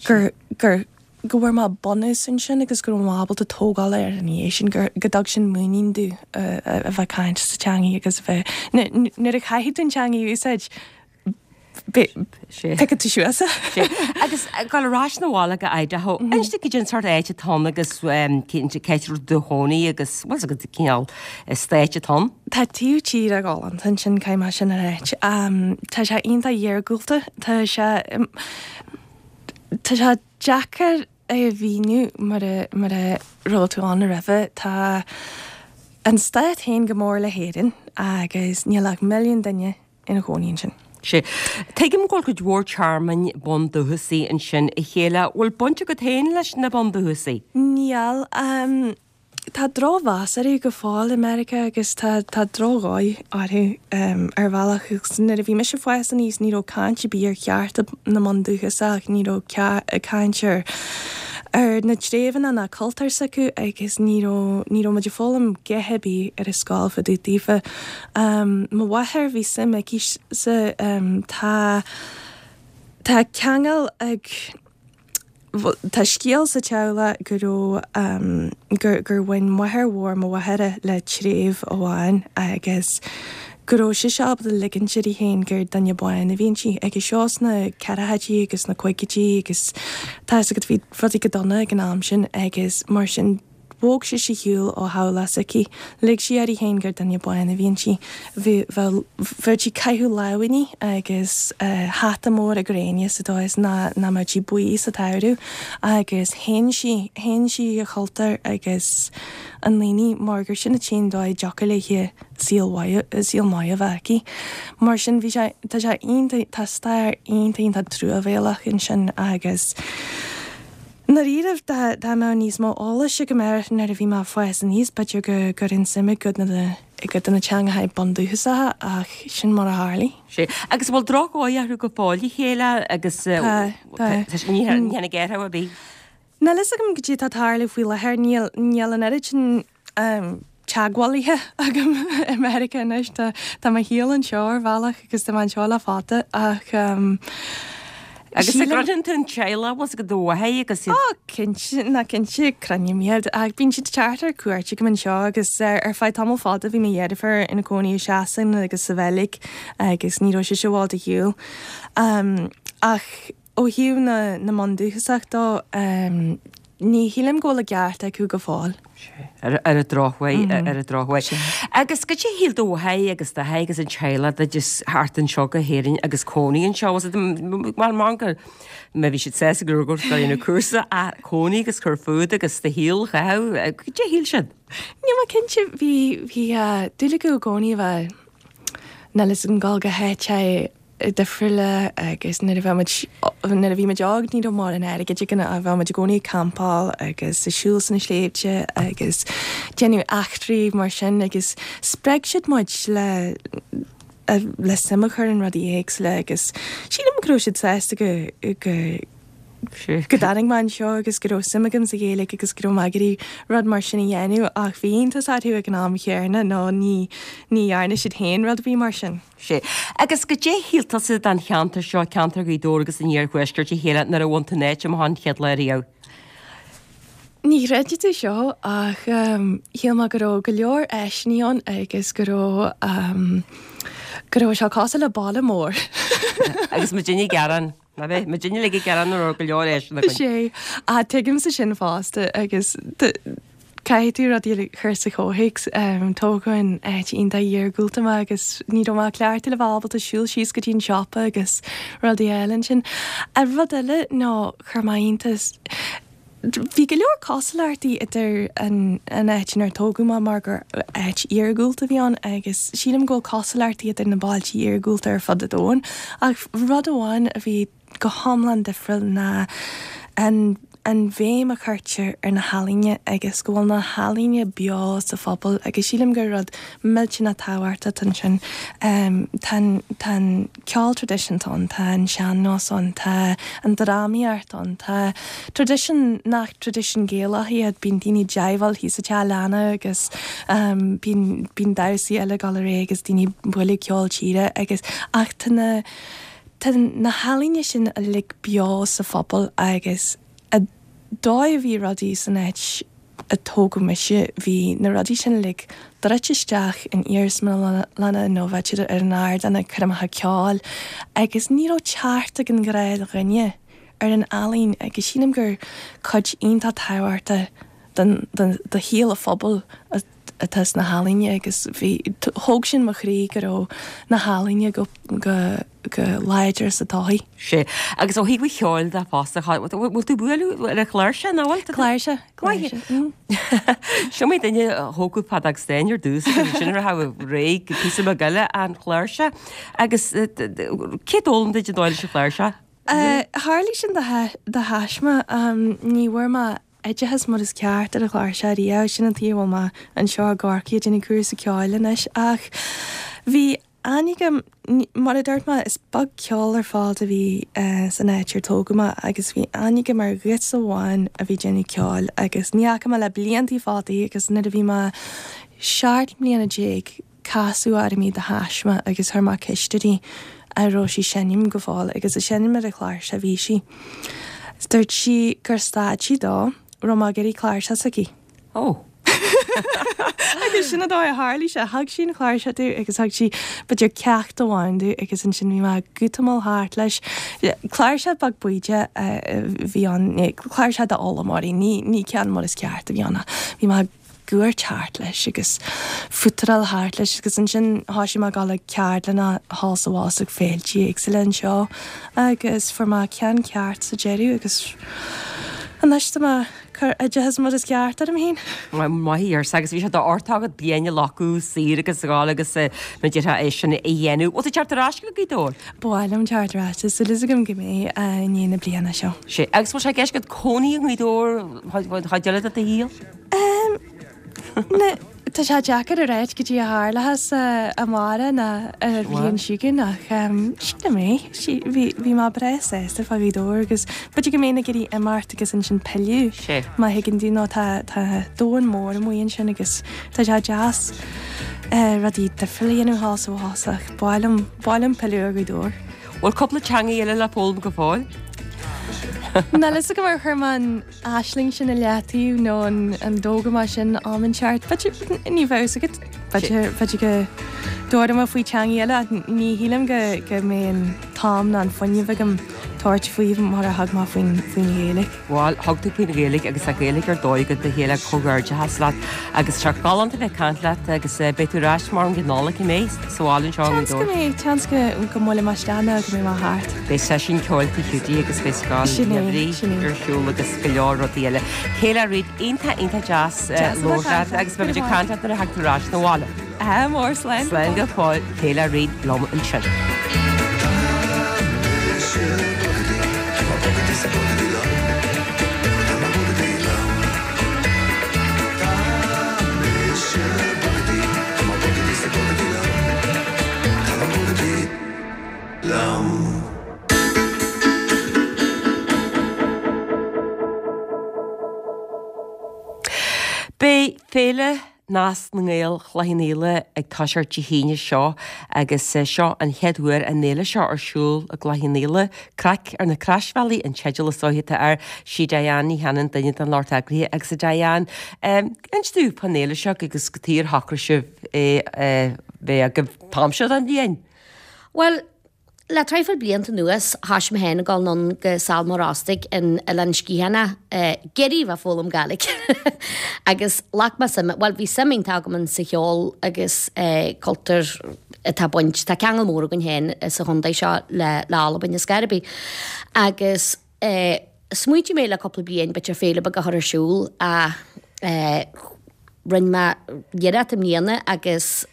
gur gur go bhfuair mé bunús ansin agus go raibh mé ábalta tógáil air ina dhiaidh sin, gur, go dtug sin muinín domh a bheith ag caint sa teangaidh agus a bheith, nuair a chaithfidh tú an teangaidh a úsáid, piocfaidh tú suas é. Sea. Agus ag dul ar ais 'na bhaile go Idaho, inis dom cad é an sórt áit atá ann agus cén áit a raibh do chónaí agus bhfuil fhios agat cineál stáit atá ann? Tá taobh tíre galánta ansin, caithfidh mé sin a ráit. Tá sé iontach iargúlta, tá sé, tá sé deacair é a mhíniú mura mura raibh tú ann roimhe. Tá an stát féin go mór le hÉirinn agus níl ach milliún duine ina chónaí ansin. Sea. Tuigim go bhfuil cuid mhór tearmainn bundúchasaigh ansin a Shéala. Bhfuil baint agat féin leis na bundúchasaigh? Níl. Tá drochmheas orthu go fóill i Meiriceá agus tá tá drochdhóigh orthu ar bhealach agus nuair a bhí mise ag fás aníos ní raibh caint ar bith ar chearta na mbundúchasach, ní raibh caint ar ar na treibheanna ná cultúr s'acu agus ní raibh ní raibh muid ag foghlaim a dhath ar bith ar an scoil fá dtaobh daofa. Mo mháthair bhí suim aici sa tá tá ceangal ag Tá scéal sa teaghlach go raibh, gur, gur bhain máthair mhór mo mháthara le treibh amháin agus go raibh sise ábalta ligint uirthi féin gur duine bán a bhí inti. Agus seo sna ceathrachaidí agus sna caogaidí agus tá fhios agat bhí rudaí go dona ag an am sin agus mar sin Bhog sise ar shiúl ó theaghlach s'aici. Lig sí uirthi féin gur duine bán a bhí inti. Bheadh sí ag caitheamh lámhainní agus hata mór gréine sa dóigh is nach mbeadh sí buí sa tsamhradh agus shéan sí, shéan sí a cultúr agus a ndaoine mar gur sin an t-aon dóigh a dtiocfadh léi saol mhaith, saol maith a bheith aici. Mar sin bhí sé, tá sé iontach, tá stair iontach iontach truamhéalach ansin agus. I ndáiríribh, dá dá mbeadh níos mó eolais agam air nuair a bhí mé ag fás aníos, b'fhéidir go gcuirfinn suim i gcuid de na i gcuid de na teangacha bundúchasacha ach sin mar a tharlaigh. Sea. Agus an bhfuil drochdhóigh orthu go fóill a Shéala agus Tá, tá. ní tháinig athrú ar bith? Níl fhios agam goidé atá ag tarlú faoi láthair, níl níl an oiread sin teagmhálaithe agam i Meiriceá anois. Tá tá mo shaol anseo ar bhealach agus tá mé anseo le fada ach Agus an gcruinníonn tú an teaghlach bhfuil fhios agat do mháthair agus iad? Ó cinnte, ná cinnte cruinním iad ach bíonn siad ag teacht ar cuairt agam anseo agus ar feadh tamall fada bhí mo dheirfiúr ina cónaí i Sasana agus sa Bheilg agus ní raibh sise i bhfad ar shiúl. Ach Ó thaobh na na mbundúchasach dó, ní shílim go bhfuil a gceart acu go fóill. Sea, ar an drochuair, ar an drochuair. Agus goidé a shíl do mháthair agus d'athair agus an teaghlach duit a theacht anseo go hÉirinn agus cónaí anseo? Was it, bhuel, mar go, má bhí siad sásta go raibh tú ag déanamh cúrsa, ach cónaí agus cur fút agus do shaol a chaitheamh, goidé a shíl siad? Níl mé cinnte, bhí, bhí dúil acu i gcónaí a bheith, níl fhios agam, dul go háit difriúla agus nuair a bheith muid nuair a bhí muid óg ní raibh mórán airgid againn ach bheadh muid i gcónaí ag campáil agus ag siúl sna sléibhte agus déanamh eachtraí mar sin agus spreag siad muid le le suim a chur in rudaí éagsúla agus sílim go raibh siad sásta go go go dtáinig mé anseo agus go raibh suim agam sa Ghaeilge agus go raibh mé ag iarraidh rud mar sin a dhéanamh ach bhí iontas orthu ag an am chéanna nó ní ní dhearna siad féin rud ar bith mar sin. Sea. Agus goidé shíl tusa den cheantar seo, ceantar Ghaoth Dobhair agus an Iarthuaiscirt a Chéile nuair a bhain tú an áit amach an chéad lá riamh? Ní chreidfidh tú seo ach shíl mé go raibh go leor áiseanna ann agus go raibh go raibh sé cosúil le baile mór. Agus muidinne ag gearán. Ná bheith muidinne uilig ag gearán nach raibh go leor áiseanna againn. Sea, ach tuigimse sin fosta agus caithfidh tú rudaí a chur sa chomhthéacs. Tógadh in áit iontach iargúlta mé agus ní raibh mé cleachtaithe le bheith ábalta siúl síos go dtí an siopa agus rudaí eile ansin. Rud eile ná chuir mé iontas, Bhí go leor cosúlachtaí idir an áit inar tógadh mé mar gur áit iargúlta a bhí ann agus sílim go bhfuil cosúlachtaí idir na bailte iargúlta ar fud an domhain ach rud amháin a bhí go hiomlán difriúil ná an an bhéim a chuirtear ar na healaíona agus go bhfuil na healaíona beo sa phobal agus sílim gur rud millteanach tábhachtach ansin. Tá an tá an ceol traidisiúnta ann, tá an sean-nós ann, tá an drámaíocht ann, tá traidisiún nach traidisiún Gaelach iad, bíonn daoine ag jiveáil thíos sa teach leanna agus bíonn bíonn damhsaí eile ag dul ar aghaidh agus daoine ag bualadh ceol tíre agus ach tá na tá na healaíona sin uilig beo sa phobal agus an dóigh a bhí rudaí san áit a tógadh mise, bhí na rudaí sin uilig druidte isteach in iarsmalanna nó bheadh siad ar an ardán ag coirmeacha ceoil agus ní raibh teacht ag an ghnáthdhuine ar an ealaín agus sílim gur cuid iontach tábhachtach den de shaol an phobail atá sna healaíona agus bhí thóg sin mo chroí go raibh na healaíona go go go láidir sa tsochaí. Sea. Agus ó thaobh an cheoil de fosta, bhfuil tú ag bualadh ar an chláirseach nó bhfuil? Cláirseach, cláirseach. Seo mé duine a thógadh feadóg stáin ar dtús agus ansin a raibh réidh píosa beag eile an chláirseach. Agus cé d'fhoghlaim duit an dóigh leis an chláirseach? Tharlaigh sin de thaisme. Ní bhfuair mé oideachas mar is ceart ar an chláirseach riamh, sin an tuige a bhfuil mé anseo i gCorcaigh ag déanamh cúrsa ceoil anois. Ach bhí aithne agam, mar a dúirt mé, is beag ceol ar fad a bhí san áit ar tógadh mé agus bhí aithne agam ar ghiota amháin a bhí ag déanamh ceoil agus ní fhaca mé le bliantaí fada í agus nuair a bhí mé seacht mbliana déag casadh orm í de thaisme agus chuir mé ceist uirthi an raibh sí ag seinm go fóill agus ag seinm ar an chláirseach a bhí sí. Dúirt sí gur stad sí dá raibh mé ag iarraidh cláirseach s'aici. Ó. Agus sin an dóigh a tharlaigh sé. Thug sí an chláirseach domh agus thug sí b'fhéidir ceacht amháin domh agus ansin bhí mé ag útamáil thart leis. Cláirseach beag bídeach a bhí ann, cláirseach d'fhoghlaimeoirí, ní ceann mar is ceart a bhí ann ach bhí mé ag gcuairt thart leis agus futaráil thart leis agus ansin thoisigh mé ag dul ag ceardlanna thall is abhus ag féiltí éagsúla anseo agus fuair mé ceann ceart sa deireadh agus anois tá mé ag cur oideachas mar is ceart orm féin. Maith thú agus bhí sé d'uchtach agat bliain a ghlacadh saor agus a ghabháil agus mar a déarfá é sin a dhéanamh. Bhfuil tú ag teacht ar ais go Gaoth Dobhair? Ba mhaith liom teacht ar ais, tá súil agam go mbeidh i ndiaidh na bliana seo. Sea, agus bhfuil sé i gceist agat cónaí i nGaoth Dobhair chuid eile de do shaol? Na, tá sé deacair a ráit goidé a tharlóchas amárach nó an bhliain seo chugainn ach sílim é. Bhí, bhí mé breá sásta fá Ghaoth Dobhair agus b'fhéidir go mbeinn ag iarraidh imeacht agus ansin pilleadh má thuigeann tú nó tá, tá domhan mór amuigh ansin agus tá sé deas rudaí difriúla a dhéanamh thall is abhus ach ba mhaith liom, ba mhaith liom pilleadh ar Ghaoth Dobhair. Bhfuil cúpla teanga eile le foghlaim go fóill? Níl a fhios agam ar chuir mé an aisling sin i leataobh nó an dtógfaidh mé sin am inteacht. B'fhéidir, ní bheadh fhios agat, b'fhéidir, b'fhéidir go dtabharfaidh mé faoi teangaí eile ach ní shílim go, go mbeidh an t-am ná an fuinneamh agam tabhairt faoi mar a thug mé faoin, faoin Ghaeilge. Bhuel, thug tú faoin Ghaeilge agus tá Gaeilge ar dóigh agat a Shéaghdha, comhghairdeachas leat agus tá sé galánta bheith ag caint leat agus beidh tú ar ais mar an Nollaig, an mbeidh, sa bhaile anseo i Seans go mbeidh, seans go, go mbuailfidh mé isteach nó go mbeidh mé thart. Beidh seisiún ceoil Tigh Hiúdaí agus beidh scoil Sin é, gheimhridh sin é. ar siúl agus go leor rudaí eile. Kayla Reid, iontach, iontach deas Deas a bheith labhairt leat ag caint leat. agus beidh muid ag caint leat nuair a thagann tú ar ais 'na bhaile. Ádh mór, slán go Slán go fóill. fóill, Kayla Reid liom ansin. Beidh Féile Nasc na nGael Chloich Cheann Fhaola ag toiseacht Dé hAoine seo agus seo an chéad uair an fhéile seo ar siúl i gCloich Cheann Fhaola. Craic ar na Croisbhealaí an teideal is dóiche atá air. Sí Diane Ní Chanainn duine den lucht eagraithe agus a Diane, inis dúinn fán fhéile seo agus cad chuige ar shocraigh sibh é a bheith agaibh an t-am seo den bhliain. Bhuel, le traidhfil blianta anuas, thoisigh mé féin ag dul anonn go Sabhal Mòr Ostaig in Oileán Sgitheanach, ag iarraidh bheith ag foghlaim Gàidhlig. Agus ghlac mé suim, bhuel bhí suim iontach agam in sa cheol agus cultúr atá baint, tá ceangal mór againn féin sa chontae seo le le Albain is scor ar bith. Agus smaointigh mé le cúpla bliain b'fhéidir féile beag a chur ar siúl ach rinne mé iarracht i mbliana agus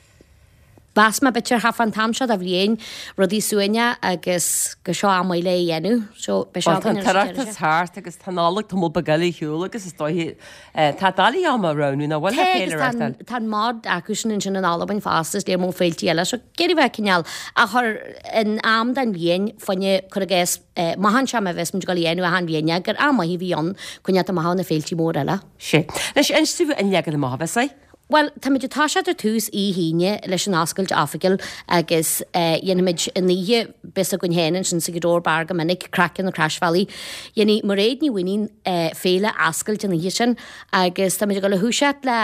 Mheas mé b'fhéidir thart fán t-am seo de bhliain, rudaí suaimhneach agus gur seo am maith le é a dhéanamh. So beidh seo Bhuel tá againn an ar an tOireachtas deireadh. thart agus tá Nollaig tamall beag eile ar shiúl agus is dóiche tá doiligh am a roghnú nach bhfuil le Tá féile agus a tá an reáchtáil. tá an mod acusan ansin in Albain fosta is léir mó féiltí eile so ag iarraidh bheith cineál a chur in am den bhliain fá choinne cuir i gcás amach anseo má bheas muid ag dul a dhéanamh achan bhliain gur am maith a bhí ann coinneáil amach ó na féiltí mór eile. Sea. Anois inis dúinn an leagan amach a bheas air. Bhuel, táimid ag toiseacht ar tús oíche hAoine leis an oscailt oifigiúil agus dhéanfaimid an oíche bíos againn féin ansin sa Ghaoth Dobhair Bar go minic, Craic ar na Croisbhealaí. Dhéanfaidh Mairéad Ní Mhaonaigh féile oscailt an oíche sin agus táimid ag dul a thoiseacht le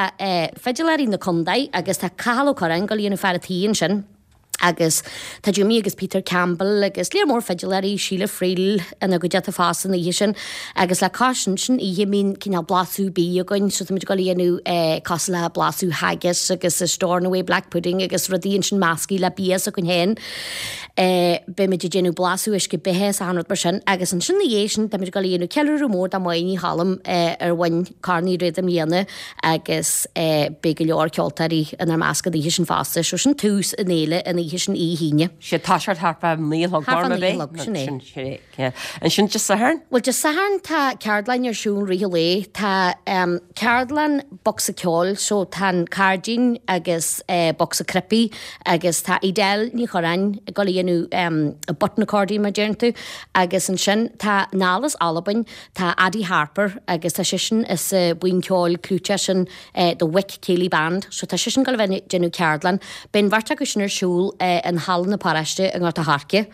fidiléirí na contae agus tá Cathal Ó Curráin ag dul a dhéanamh fear a' tí ansin. Agus tá Jimmy agus Peter Campbell agus léar mór fidiléirí, Sheila Friel ina gcuideachta fosta an oíche sin. Agus le cois sin, sin oíche a mbíonn cineál blaiseadh bídh againn, so táimid ag dul a dhéanamh eh cosúil le blaiseadh haggis agus a Stornoway black pudding agus rudaí ansin measctha le bia s'againn féin. Eh beimid ag déanamh blaiseadh uisce beatha is achan rud mar sin. Agus ansin ina dhiaidh sin táimid ag dul a dhéanamh ceiliúradh mór do Mháire Ní Choilm eh ar bhain Corn Uí Riada i mbliana agus eh beidh go leor ceoltóirí inár measc an oíche sin fosta. So sin tús an fhéile an oíche sin oíche hAoine. Sé tá sé thart fá naoi a chlog Thart fá mar naoi a chlog, sin é. Sin sin é. Ansin Dé Sathairn? Bhuel Dé Sathairn tá ceardlann ar siúl rith an lae. Tá um, ceardlann bocsa ceoil so tá an cairdín agus eh, bocsa cnaipí agus tá Edel Ní Churráin ag dul a dhéanamh um, a button accordion mar deireann tú agus ansin tá anall as Albain tá Adi Harper agus tá seisean as uh, buíon ceoil clúiteach sin eh, The Wick Ceilidh Band, so tá seisean ag dul a bheith ag déanamh ceardlann. Beidh an bheirt acu sin ar siúl eh, in Halla na Paróiste i nGort a' Choirce.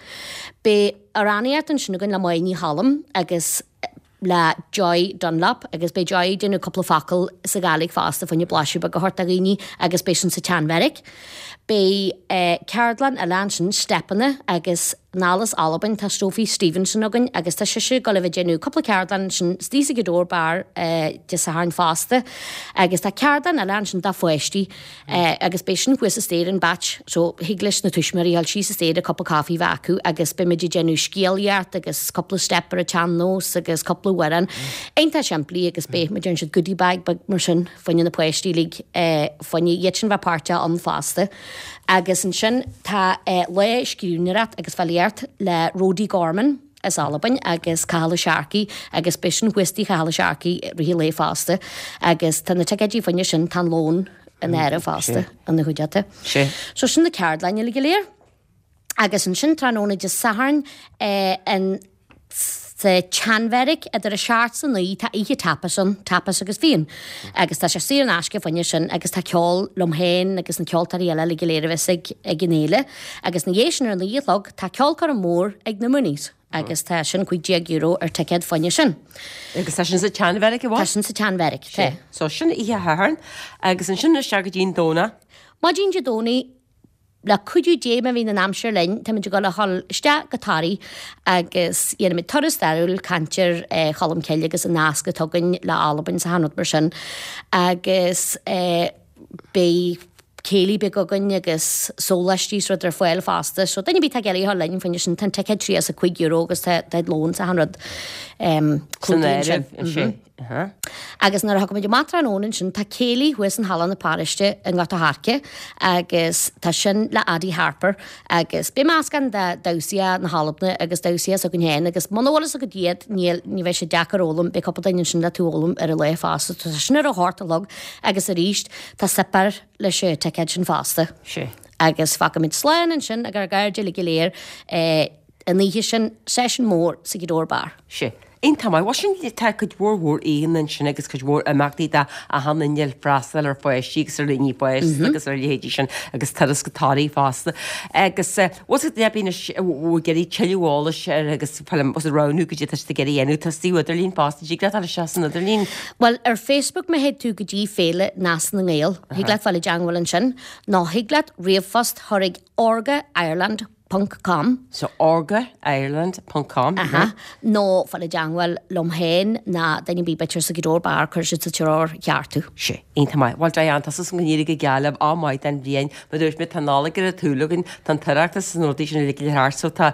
Beidh amhránaíocht ansin againn le Máire Ní Choilm agus le Joy Dunlop agus beidh Joy ag déanamh cúpla focal sa Ghàidhlig fosta fá choinne blaiseadh beag a thabhairt do dhaoine agus beidh sin sa tSeanbheairic. Beidh eh, ceardlann eile ansin, steipeanna agus anall as Albain tá Sophie Stevenson againn agus tá sise ag dul a bheith ag déanamh cúpla ceardlann ansin istigh sa Ghaoth Dobhair Bar eh, Dé Sathairn fosta agus tá ceardlann eile ansin do pháistí eh, agus beidh sin thuas an staighre in Batch so thig leis na tuismitheoirí dul síos an staighre cupa caife a bheith acu agus beimid ag déanamh scéalaíocht agus cúpla steip ar an tsean-nós agus cúpla amhrán iontach simplí agus beidh muid déanann siad goodie bag beag mar sin fá choinne na páistí uilig eh, fá choinne iad sin bheith páirteach ann fosta. Agus ansin tá eh, lá scríbhneoireacht agus filíocht le Rody Gorman as Albain agus Cathal Ó Searcaigh agus beidh sin thuas tigh Chathal Ó Searcaigh rith an lae fosta agus tá na ticéidí fá choinne sin tá an lón in áirithe fosta ina chuideachta. So sin na ceardlanna uilig go léir. Agus ansin tráthnóna Dé Sathairn eh, an sa tSeanbheairic idir a seacht is a naoi tá oíche tapas ann, tapas agus fíon. Agus tá sé saor in aisce fá choinne sin agus tá ceol liom féin agus na ceoltóirí eile uilig go léir a bheas ag ag an fhéile. Agus ina dhiaidh sin ar a naoi a chlog tá ceolchoirm mór ag na Mooneys agus tá sin cúig déag euro ar ticéad fá choinne sin. Agus tá sin sa tSeanbheairic a Tá sin sa tSeanbheairic, tá. So sin oíche Shathairn agus ansin isteach go dtí an Domhnach. Maidin Dé Domhnaigh Le cuidiú Dé má bhíonn an aimsir linn, táimid ag dul a dhul isteach go Toraigh agus dhéanfaimid turas stairiúil, caint ar Cholm Cille agus an nasc atá againn le Albain is achan rud mar sin agus beidh céilí beag againn agus sóláistí is rud ar fáil fosta. So duine ar bith atá ag iarraidh a dhul linn fá choinne sin, tá an ticéad tríocha is a cúig euro agus tá lón is achan rud San clúdaithe áireamh ansin. ansin. Agus nuair a thagaimid amach tráthnóna ansin, tá céilí thuas in Halla na Paróiste i nGort a' Choirce agus tá sin le Adi Harper agus beidh meascán de damhsaí na hAlban agus damhsaí s'againn féin agus muna bhfuil fhios agat iad, níl, ní bheidh sé deacair a fhoghlaim, beidh cúpla duine ansin le tú a fhoghlaim ar an lá fosta. Tá sin ar a hocht a chlog agus arís tá suipéar leis an ticéad sin fosta. Sea. Agus fágfaimid slán ansin ag ár gcairde uilig go léir. an oíche sin, seisiún mór sa Ghaoth Dobhair Bar. Sea. Iontach maith. Bhuel sin, tá cuid mhór mhór oícheanna ansin agus cuid mhór imeachtaí do achan duine le freastal ar pháistí agus ar dhaoine fásta agus ar a leithéidí sin agus turas go Toraigh fosta. Agus bhfuil siad ag anois ag iarraidh tuilleadh eolais ar agus bhfuil siad roghnú goidé tá siad ag iarraidh a dhéanamh tá suíomh idirlín fosta dtig leat dul isteach san idirlíon. Bhuel ar Facebook má théid tú go dtí Féile Nás na nGael, thig leat fáil i dteangmháil ansin nó thig leat ríomhphost chur ag orga Ireland ponc com. So orga Ireland ponc com. Aha. Nó fáil i dteangmháil liom féin ná duine ar bith b'fhéidir sa Ghaoth Dobhair Bar cuirfidh siad sa treoir cheart thú. Sea. Iontach maith. Bhuel Diane, tá súil agam go n-éireoidh go geal libh, ádh maith don bhliain. Mar a dúirt mé, tá an Nollaig ar an tsúil againn, tá an tOireachtas is na rudaí sin uilig le thart so tá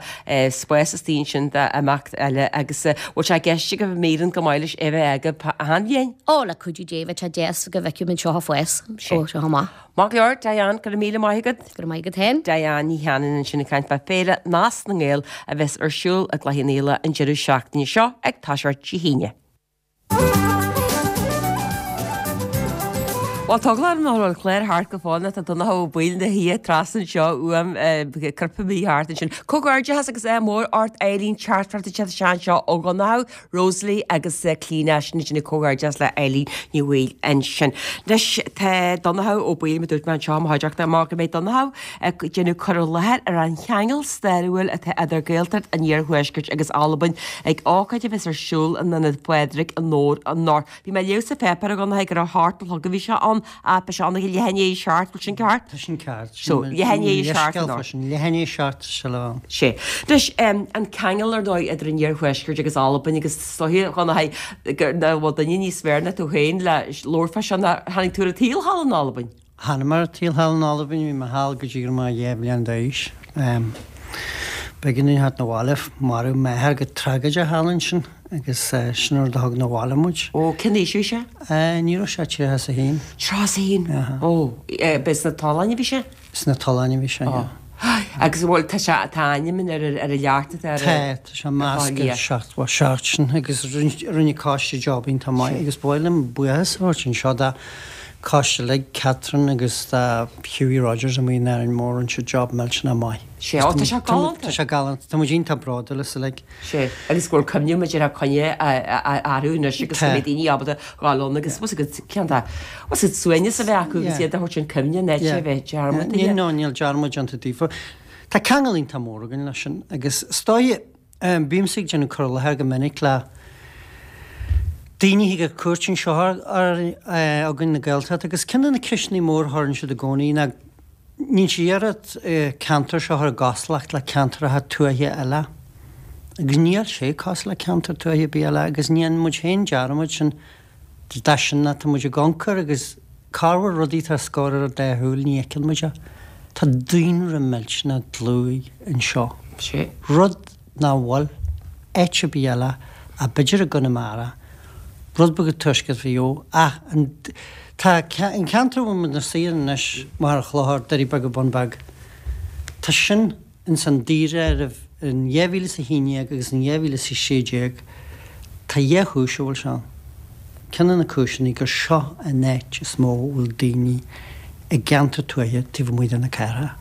spás istigh ansin d'imeacht eile agus bhfuil sé i gceist agaibh míreann go maith leis é a bheith agaibh achan bhliain? Ó, le cuidiú Dé, bheadh sé deas go bhfeicfeadh muid seo ag fás ó seo amach. Maith go leor, Diane, go raibh míle maith agat. Go raibh maith agat féin. Diane Ní Chanainn ansin ag caint fá Féile Nás na nGael a bheas ar siúl i gCloich Cheann Fhaola an deireadh seachtaine seo ag toiseacht Dé hAoine. Bhuel, tá eagla orm nach bhfuil an clár thart go fóill nó tá Donncha Ó Baoill ina shuí trasna anseo uaim, cripthe thart ansin. Comhghairdeachas agus ádh mór ort Eileen teachtaireacht ag teacht isteach anseo ó Dhonncha. Rosalie agus Clíona, sin ag déanamh comhghairdeas le Eileen Ní Bhaoill ansin. Anois tá Donnchadh Ó Baoill, mar dúirt mé anseo i mo chuideachta, mar go mbeidh Donnchadh ag déanamh cur i láthair ar an cheangal stairiúil atá idir Gaeltacht an Iarthuaiscirt agus Albain ag ócáid a bheas ar siúl in Ionad Phádraig i nDobhar anocht. Bhí mé ag léamh sa pháipéar a Dhonnchaidh gur a hocht a chlog a bhí sé ann, ach beidh sé ann ag leath i ndiaidh a seacht, bhfuil sin ceart? Tá sin ceart. So, leath i ndiaidh a seacht anocht. Leath i ndiaidh a seacht tá sé le bheith ann. Sea. Anois, an ceangal ar ndóigh idir an Iarthuaisceart agus Albain agus is dóiche, a Dhonnchaidh, nach bhfuil duine níos fearr ná tú féin le labhairt fá seo ná tháinig tú ar an tsaol thall in Albain. Tháinig mé ar an tsaol thall in Albain, bhí mé thall go dtí go raibh mé dhá bhliain d'aois. B'éigean dúinn theacht 'na bhaile, maraíodh m'athair go tragóideach thall ansin agus sin an rud a thug 'na bhaile muid. Ó, cén aois a bhí sé? Ní raibh sé ach tríocha is a haon. Tríocha is a haon? Ó, b'é sna tolláin a bhí sé? Sna tolláin a bhí sé, yeah. Agus an bhfuil, tá sé, tá a ainm ar ar an leacht atá ar Tá, tá sé measctha ar seachtó a seacht sin agus rinne coiste job iontach maith agus ba mhaith liom buíochas a thabhairt anseo do choiste uilig, Catherine agus do Hughie Rogers amuigh in Árainn Mhór, rinne siad job millteanach maith. Sea, ó tá sé galánta. Tá sé galánta, tá muid iontach bródúil as uilig. Sea, agus go bhfuil cuimhne muid ar a coinne orthu anois agus go mbeidh daoine ábalta dhul ann agus bhfuil siad ceann de, bhfuil siad suaimhneas a bheith acu agus iad a thabhairt an cuimhne an áit a bheith dearmadtaithe. Níl, no, níl dearmad déanta daofa. Tá ceangal iontach mór againn leis sin agus is dóigh, bímse ag déanamh cur i láthair go minic le daoine a thig ar cuairt anseo againn na Gaeltacht agus ceann de na ceisteanna mór a chuireann siad i gcónaí ná Níonn siad iarracht ceantar seo a chur i gcosúlacht le ceantracha tuaithe eile. Agus níl sé cosúil le ceantar tuaithe ar bith eile agus ní dhéanann muid féin dearmad sin de sin ná tá muid ag amharc agus corruair rudaí atá os comhair ár dá shúil ní fheiceann muid é. Tá daonra millteanach dlúth anseo. Rud nach bhfuil áit ar bith eile ach b'fhéidir i gConamara, rud beag i dtuaisceart Mhaigh Eo, ach an tá an ceantar a bhfuil muid inár suí anois, Machaire Chlochair, Doirí Beaga, Bun Beag, tá sin ins an daonáireamh in dhá mhíle is a haon déag agus in dhá mhíle is a sé déag, tá dhá chúis a bhfuil sé ann. Ceann de na cúiseanna gur seo an áit is mó a bhfuil daoine i gceantar tuaithe taobh amuigh de na cathracha.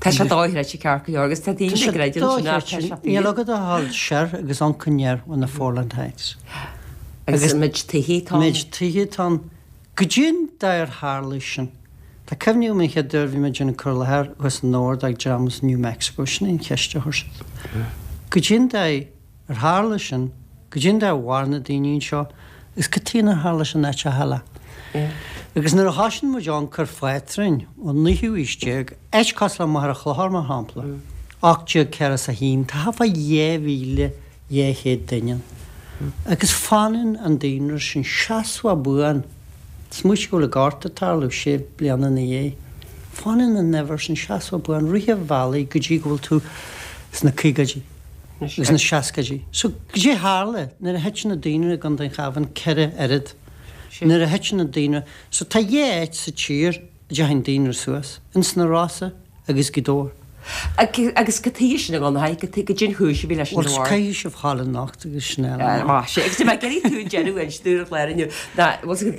Tá sé dochreidte ceart go leor agus tá daoine ag greideamh ansin ach tá sé fíor. Níl agat ach a dhul soir agus amharc aniar ó na Foreland Heights. Agus an méid tithe atá ann. Méid tithe atá ann. Goidé an dóigh ar tharla sin? Tá cuimhne agam an chéad uair a bhí mé ag déanamh cur i láthair thuas i nDobhar do dream as New Mexico, sin é an cheist a chuir siad. Goidé an dóigh ar tharla sin, goidé an dóigh ar mhair na daoine anseo agus cad chuige nár tharla sin áiteacha eile. Agus nuair a thosaíonn muid amharc ar phátrúin ón naoú haois déag, áit cosúil le Machaire Chlochair mar shampla, ocht déag ceathracha is a haon, tá thart fá dhá mhíle dhá chéad duine ann. Agus fanann an daonra sin seasmhach buan. Smaoitigh go bhfuil an Gorta ag tarlú sé bliana ina dhiaidh. Fanann an uimhir sin seasmhach buan rith an bhealaigh go dtí go bhfuil tú sna caogaidí agus sna seascaidí. So, goidé a tharla nuair a thit na daonra i gContae an Chabháin ceithre oiread. Nuair a thit na daonra, so tá dhá áit sa tír a dteachaigh an daonra suas, ins na Rosa agus Gaoth Dobhair. Agus cad chuige sin a Dhonnchaidh, goidé an chúis a bhí leis sin Bhuel, caithfidh sibh ghabháil anocht agus sin eile. Maith, sea. Agus tá mé ag iarraidh tú deireadh a inse dúinn ar chlár inniu. Ná, bhuel,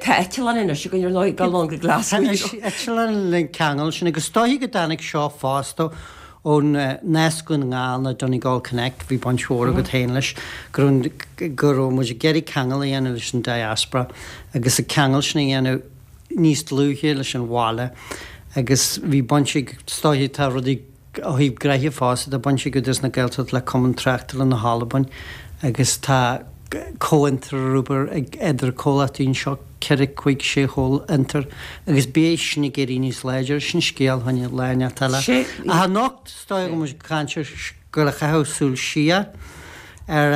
tá eitleán anois againn ar ndóigh, ag dul ann go Glasgow. Tá eitleán le ceangal sin agus is dóiche go dtáinig seo fosta ón nasc Dhún na nGall nó Donegal Connect, bhí baint mhór agat féin leis, go raibh go raibh muid ag iarraidh ceangal a dhéanamh leis an diaspora agus an ceangal sin a dhéanamh níos dlúithe leis an bhaile agus bhí baint ag, is dóiche tá rudaí ó thaobh gnoithe fosta, tá baint ag Údarás na Gaeltachta le Cumann Tráchtála na hAlban agus tá comhfhiontar ar obair ag idir comhlachtaí anseo, ceithre, cúig, sé chomhfhiontar agus beidh sin ag éirí níos láidre, sin scéal fá choinne lá inteacht eile. Ach anocht, is dóigh go bhfuil muid ag caint ar, go bhfuil ag caitheamh súil siar ar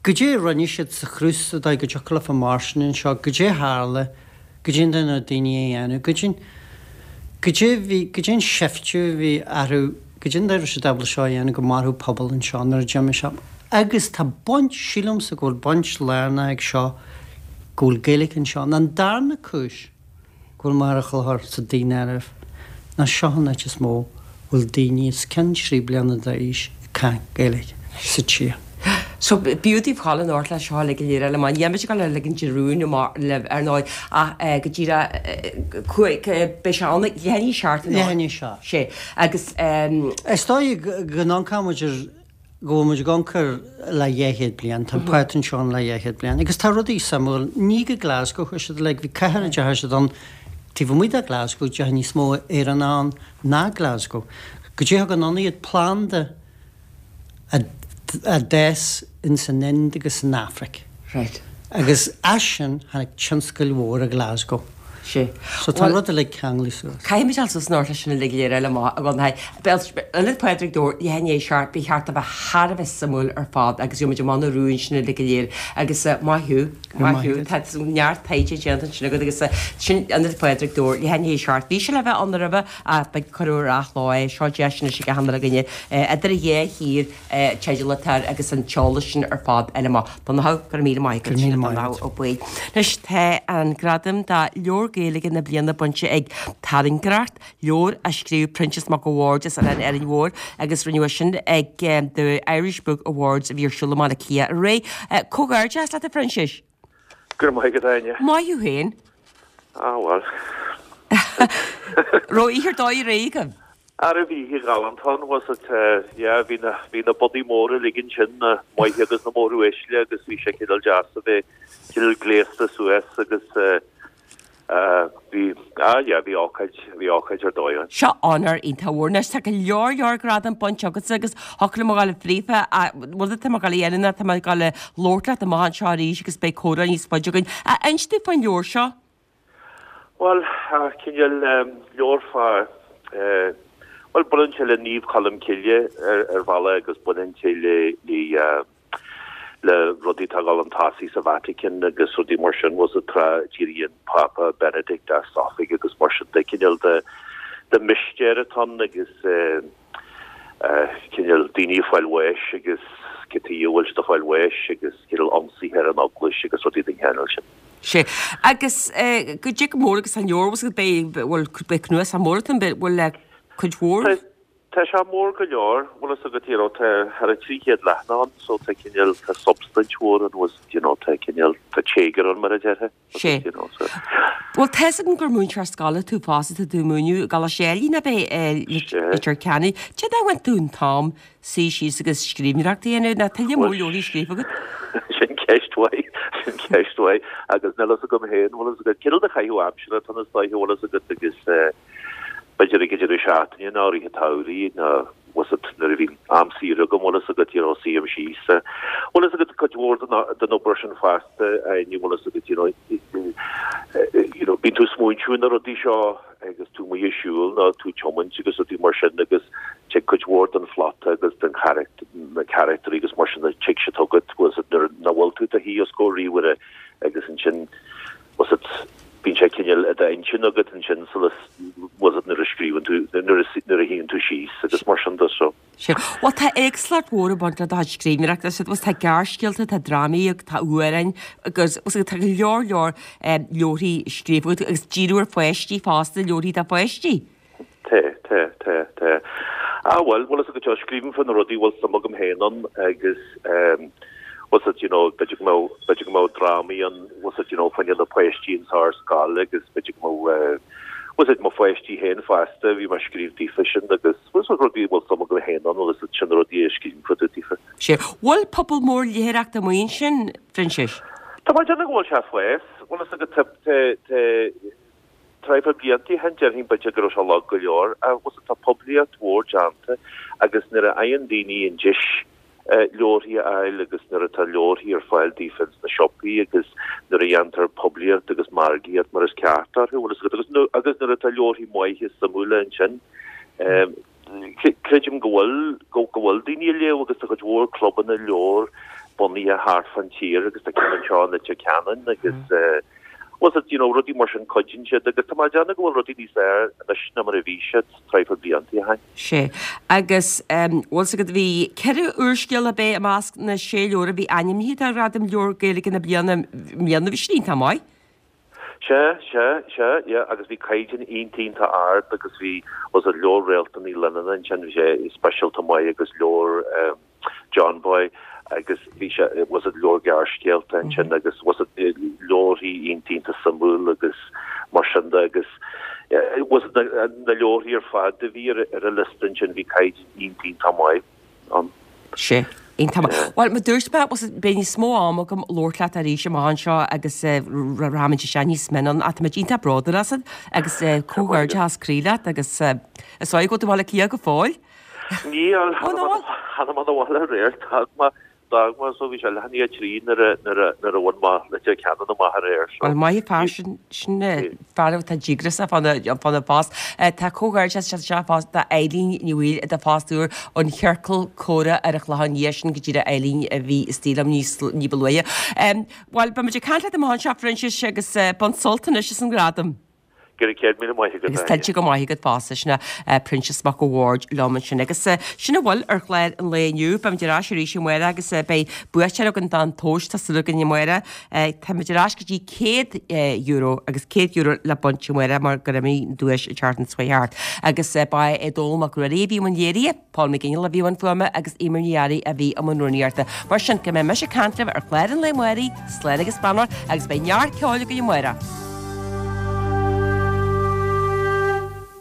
goidé a rinne siad sa chruth sa dóigh go dtiocfadh leofa mairstean anseo, goidé a tharla, goidé an dóigh na daoine a dhéanamh, goidé, goidé a bhí, goidé an seiftiú a bhí orthu, goidé an dóigh a raibh siad ábalta seo a dhéanamh go mairfeadh pobal anseo nuair a d'imigh sé. Agus tá baint, sílimse go bhfuil baint lárnach ag seo go bhfuil Gaeilge anseo. An darna cúis go bhfuil Machaire Chlochair sa daonáireamh ná seo an áit is mó a bhfuil daoine os cionn trí bliana d'aois ag caint Gaeilge sa tír. So b'fhiú daoibh dhul anocht leis seo uilig go léir eile mar níl muid ag dul a ligean de rún amach libh ar ndóigh ach go díreach cúig beidh sé ann ag leath i ndiaidh a seacht anocht. Leath i ndiaidh a seacht. Sé agus. Is dóigh go n-amharcann muid ar go bhfuil muid ag amharc air le dhá chéad bliain, tá an pátrún seo ann le dhá chéad bliain agus tá rudaí suimiúil, ní go Glasgow a chuaigh siad like bhí cathair a dteachaigh siad ann taobh amuigh de Glasgow, deachaigh níos mó Éireannach ann ná Glasgow. Goidé a thug anonn iad planda a a d'fhás ins an Ind agus san Afraic. Right. Agus as sin tháinig tionscail mhóra Glasgow. Sé. So tá an rud uilig ceanglaithe suas. Caithfimid dul suas anocht leis sin uilig go léir eile amach i gContae Béal Ionad Phádraig Dobhair leath i ndiaidh a seacht ba cheart a bheith thar a bheith suimiúil ar fad agus gheobhaimid amach na rúin sin uilig go léir agus maith thú, maith thú, tá neart taighde déanta ansin agat agus sin Ionad Phádraig Dobhair leath i ndiaidh a seacht. Bhí sé le bheith ann roimhe ach beidh cuireadh ar athló é, seo deis anois ag achan uile dhuine idir a dhá thír teideal atá air agus an t-eolas sin ar fad eile amach. Donnchadh, go raibh míle maith agat. Go raibh míle maith agat. Donnchadh Ó Baoill. Anois tá an gradam do Leabhar Gaeilge na Bliana bainte ag Tairngreacht, leabhar a scríobh Proinsias Mac a' Bhaird as Oileán Árainn Mhór agus rinneadh é sin ag The Irish Book Awards a bhí ar siúl i mBaile Átha Cliath aréir. Comhghairdeas leat a Phroinsiais! Go raibh maith agat, Áine. Maith thú féin. Ah bhuel. Raibh oíche ar dóigh aréir agaibh? Ara bhí oíche ghalánta ann, was it, yeah, bhí na, bhí na budaí móra uilig ansin, na maithe agus na móruaisle agus bhí sé cineál deas a bheith cineál gléasta suas agus eh, bhí, ah yeah, bhí ócáid, bhí ócáid ar dóigh ann. Seo onóir iontach mhór. Anois tá go leor leor gradam bainte agatsa agus thiocfadh liom a ghabháil fríofa ach rud atá mé ag gabháil a dhéanamh ná tá mé ag gabháil a labhairt leat amach anseo arís agus beidh comhrá níos faide againn. Inis dúinn faoin leabhar seo. Bhuel, cineál leabhar fá, bhuel, baineann sé le Naomh Colm Cille ar bhealach agus baineann sé le, le rudaí atá ag dul chun tosaigh sa Vatican agus rudaí mar sin, bhfuil 's agat, tráth a d'éirigh an Pápa Benedict as oifig agus mar sin de, cineál de, de mistéir atá ann agus cineál daoine ag fáil bháis agus cad chuige a bhfuil siad ag fáil bháis agus cineál ionsaithe ar an eaglais agus rudaí den chineál sin. Sea. Agus goidé chomh mór agus an leabhar, bhfuil beidh, bhuel, beidh cnuasach mór atá ann, bhfuil cuid mhór? Tá, tá sé mór go leor, bhfuil fhios agat, you know, tá thar a trí chéad leathanach ann, so tá cineál, tá substaint mhór ann, bhfuil, you know, tá cineál, tá téagar ann mar a déarfá, Sea. you know, so. Bhuel, tá 'fhios agam gur múinteoir scoile tú fosta, tá tú ag múineadh i gColáiste Ailigh, ab ea, i Leitir Ceanainn. Cad é a bhain tú an t-am suí síos agus scríbhneoireacht a dhéanamh, nó tá lear mór leabharthaí scríofa agat? Sin ceist mhaith, sin ceist mhaith, agus níl fhios agam féin, bhfuil fhios agat, cineál de chaitheamh aimsire atá ann is dóiche, bhfuil fhios agat, agus b'fhéidir ag an deireadh seachtaine nó i rith an tsamhraidh nó bhfuil fhios agat, nuair a bhíonn am saor agam, bhfuil fhios agat, you know, suím síos. Bhfuil fhios agat, cuid mhór den den obair sin fosta, Áine, bhfuil fhios agat, you know, you know, bíonn tú ag smaointiú ar na rudaí seo agus tú amuigh ag siúl nó tú ag tiomáint agus rudaí mar sin agus tig cuid mhór den phlota agus den charachtar, na carachtairí agus mar sin, tig siad chugat, bhfuil fhios agat, nuair nach bhfuil tú i do shuí os comhair ríomhaire agus ansin, bhfuil fhios agat, bíonn sé cineál i d'intinn agat ansin sula, bhfuil fhios agat, nuair a scríobhann tú, nuair a, nuair a shuíonn tú síos agus mar sin de so. Sea. Bhuel, tá éagsúlacht mhór ag baint le do chuid scríbhneoireachta. Sea, tá gearrscéalta, tá drámaí, tá amhráin agus tá go leor leor leabharthaí scríofa agat agus díriú ar pháistí fosta, leabharthaí do pháistí. Tá, tá, tá, tá. Ah bhuel, bhfuil fhios agat, scríobhaim fá na rudaí a bhfuil suim agam féin ann agus bhfuil fhios agat, you know, b'fhéidir go mbeadh, b'fhéidir go mbeadh drámaí ann, bhfuil fhios agat, you know, fá choinne na páistí ins ar scoil agus b'fhéidir go mbeadh, bhfuil a fhios agat mo pháistí féin fosta, bhí mé ag scríobh daofa sin agus bhfuil a fhios agat rudaí a bhfuil suim agam féin ann, bhfuil a fhios agat sin na rudaí a scríobhaim fá dtaobh daofa. Sea. Bhfuil pobal mór léitheoireachta amuigh ansin, Phroinsiais? Tá mé ag déanamh go bhfuil sé ag fás, bhfuil a fhios agat tá, tá, tá, tráth blianta ó shin déarfainn b'fhéidir go raibh sé lag go leor ach bhfuil a fhios agat tá poiblíocht mhór déanta agus nuair a fhaigheann daoine an deis leabharthaí a fháil agus nuair atá leabharthaí ar fáil daofa ins na siopaí agus nuair a dhéantar poiblíocht agus margaíocht mar is ceart orthu, bhfuil a fhios agat, agus agus nuair atá leabharthaí maithe suimiúla ansin, creidim go bhfuil, go go bhfuil daoine ag léamh agus tá cuid mhór clubanna leabhar bunaithe thart fán tír agus tá ceann anseo in Leitir Ceanainn agus bhfuil a fhios agat, you know, rudaí mar sin cuidíonn siad agus tá mé ag déanamh go bhfuil rudaí níos fearr anois ná mar a bhí siad tráth blianta ó shin. Sea. Agus bhfuil a fhios agat, bhí ceithre úrscéal ab é i measc na sé leabhar a bhí ainmnithe do Ghradam Leabhar Gaeilge na Bliana i mbliana, bhí sin iontach maith. Sea, sea, sea, yeah, agus bhí caighdeán iontach iontach ard agus bhí, bhfuil a fhios agat leabhar Réaltán Ní Leannáin ansin, bhí sé speisialta maith agus leabhar, John Boy agus bhí sé, bhfuil a fhios agat leabhar gearrscéalta ansin agus bhfuil a fhios agat leabharthaí iontach iontach suimiúil agus mar sin de agus bhfuil a fhios agat na leabharthaí ar fad a bhí ar ar an liosta ansin bhí caighdeán iontach iontach maith ann. Sea, iontach maith. Bhuel, mar a dúirt mé, bhfuil a fhios agat beidh níos mó ama agam labhairt leat arís amach anseo agus rachaimid isteach níos mine ann ach táimid iontach bródúil asat agus comhghairdeas croí leat agus is dóigh go bhfuil tú i mBaile Átha Cliath go fóill. Níl, tháinig mé abhaile aréir, d'fhág mé, d'fhág mé, so bhí sé leath i ndiaidh a trí nuair a, nuair a, nuair a bhain mé Leitir Ceanainn amach aréir, so. Bhuel, maith an fear sin, sin fear atá díograiseach fána, fána phost. Tá comhghairdeas anseo fosta d'Eileen Ní Bhaoill i do phost úr ón Chiorcal Comhrá ar an Chlochán Liath sin go díreach Eileen a bhí istigh liom níos, ní ba luaithe. Bhuel, beimid ag caint leat amach anseo, Phroinsias, agus bain sult anois as an ngradam. Go raibh céad míle maith agat, Agus tuillte go maith agat fosta, sin é Proinsias Mac a' Bhaird liom ansin. Agus sin a bhfuil ar chlár an lae inniu. Beimid ar ais arís amárach agus beidh buaiteoir againn don tomhas, tá súil againn amárach. Táimid ar ais go dtí céad euro agus céad euro le baint amárach mar gur imigh an duais an tseachtain seo chuaigh thart. Agus ba é Dónal Mac Ruairí a bhí i mbun léirithe, Paul McGinley a bhí i mbun fuaime agus Eimear Ní Fhearraigh a bhí i mbun rúnaíochta. Mar sin, go mbeidh mise ag caint libh ar chlár an lae amárach, slán agus beannacht agus beidh neart ceoil againn amárach.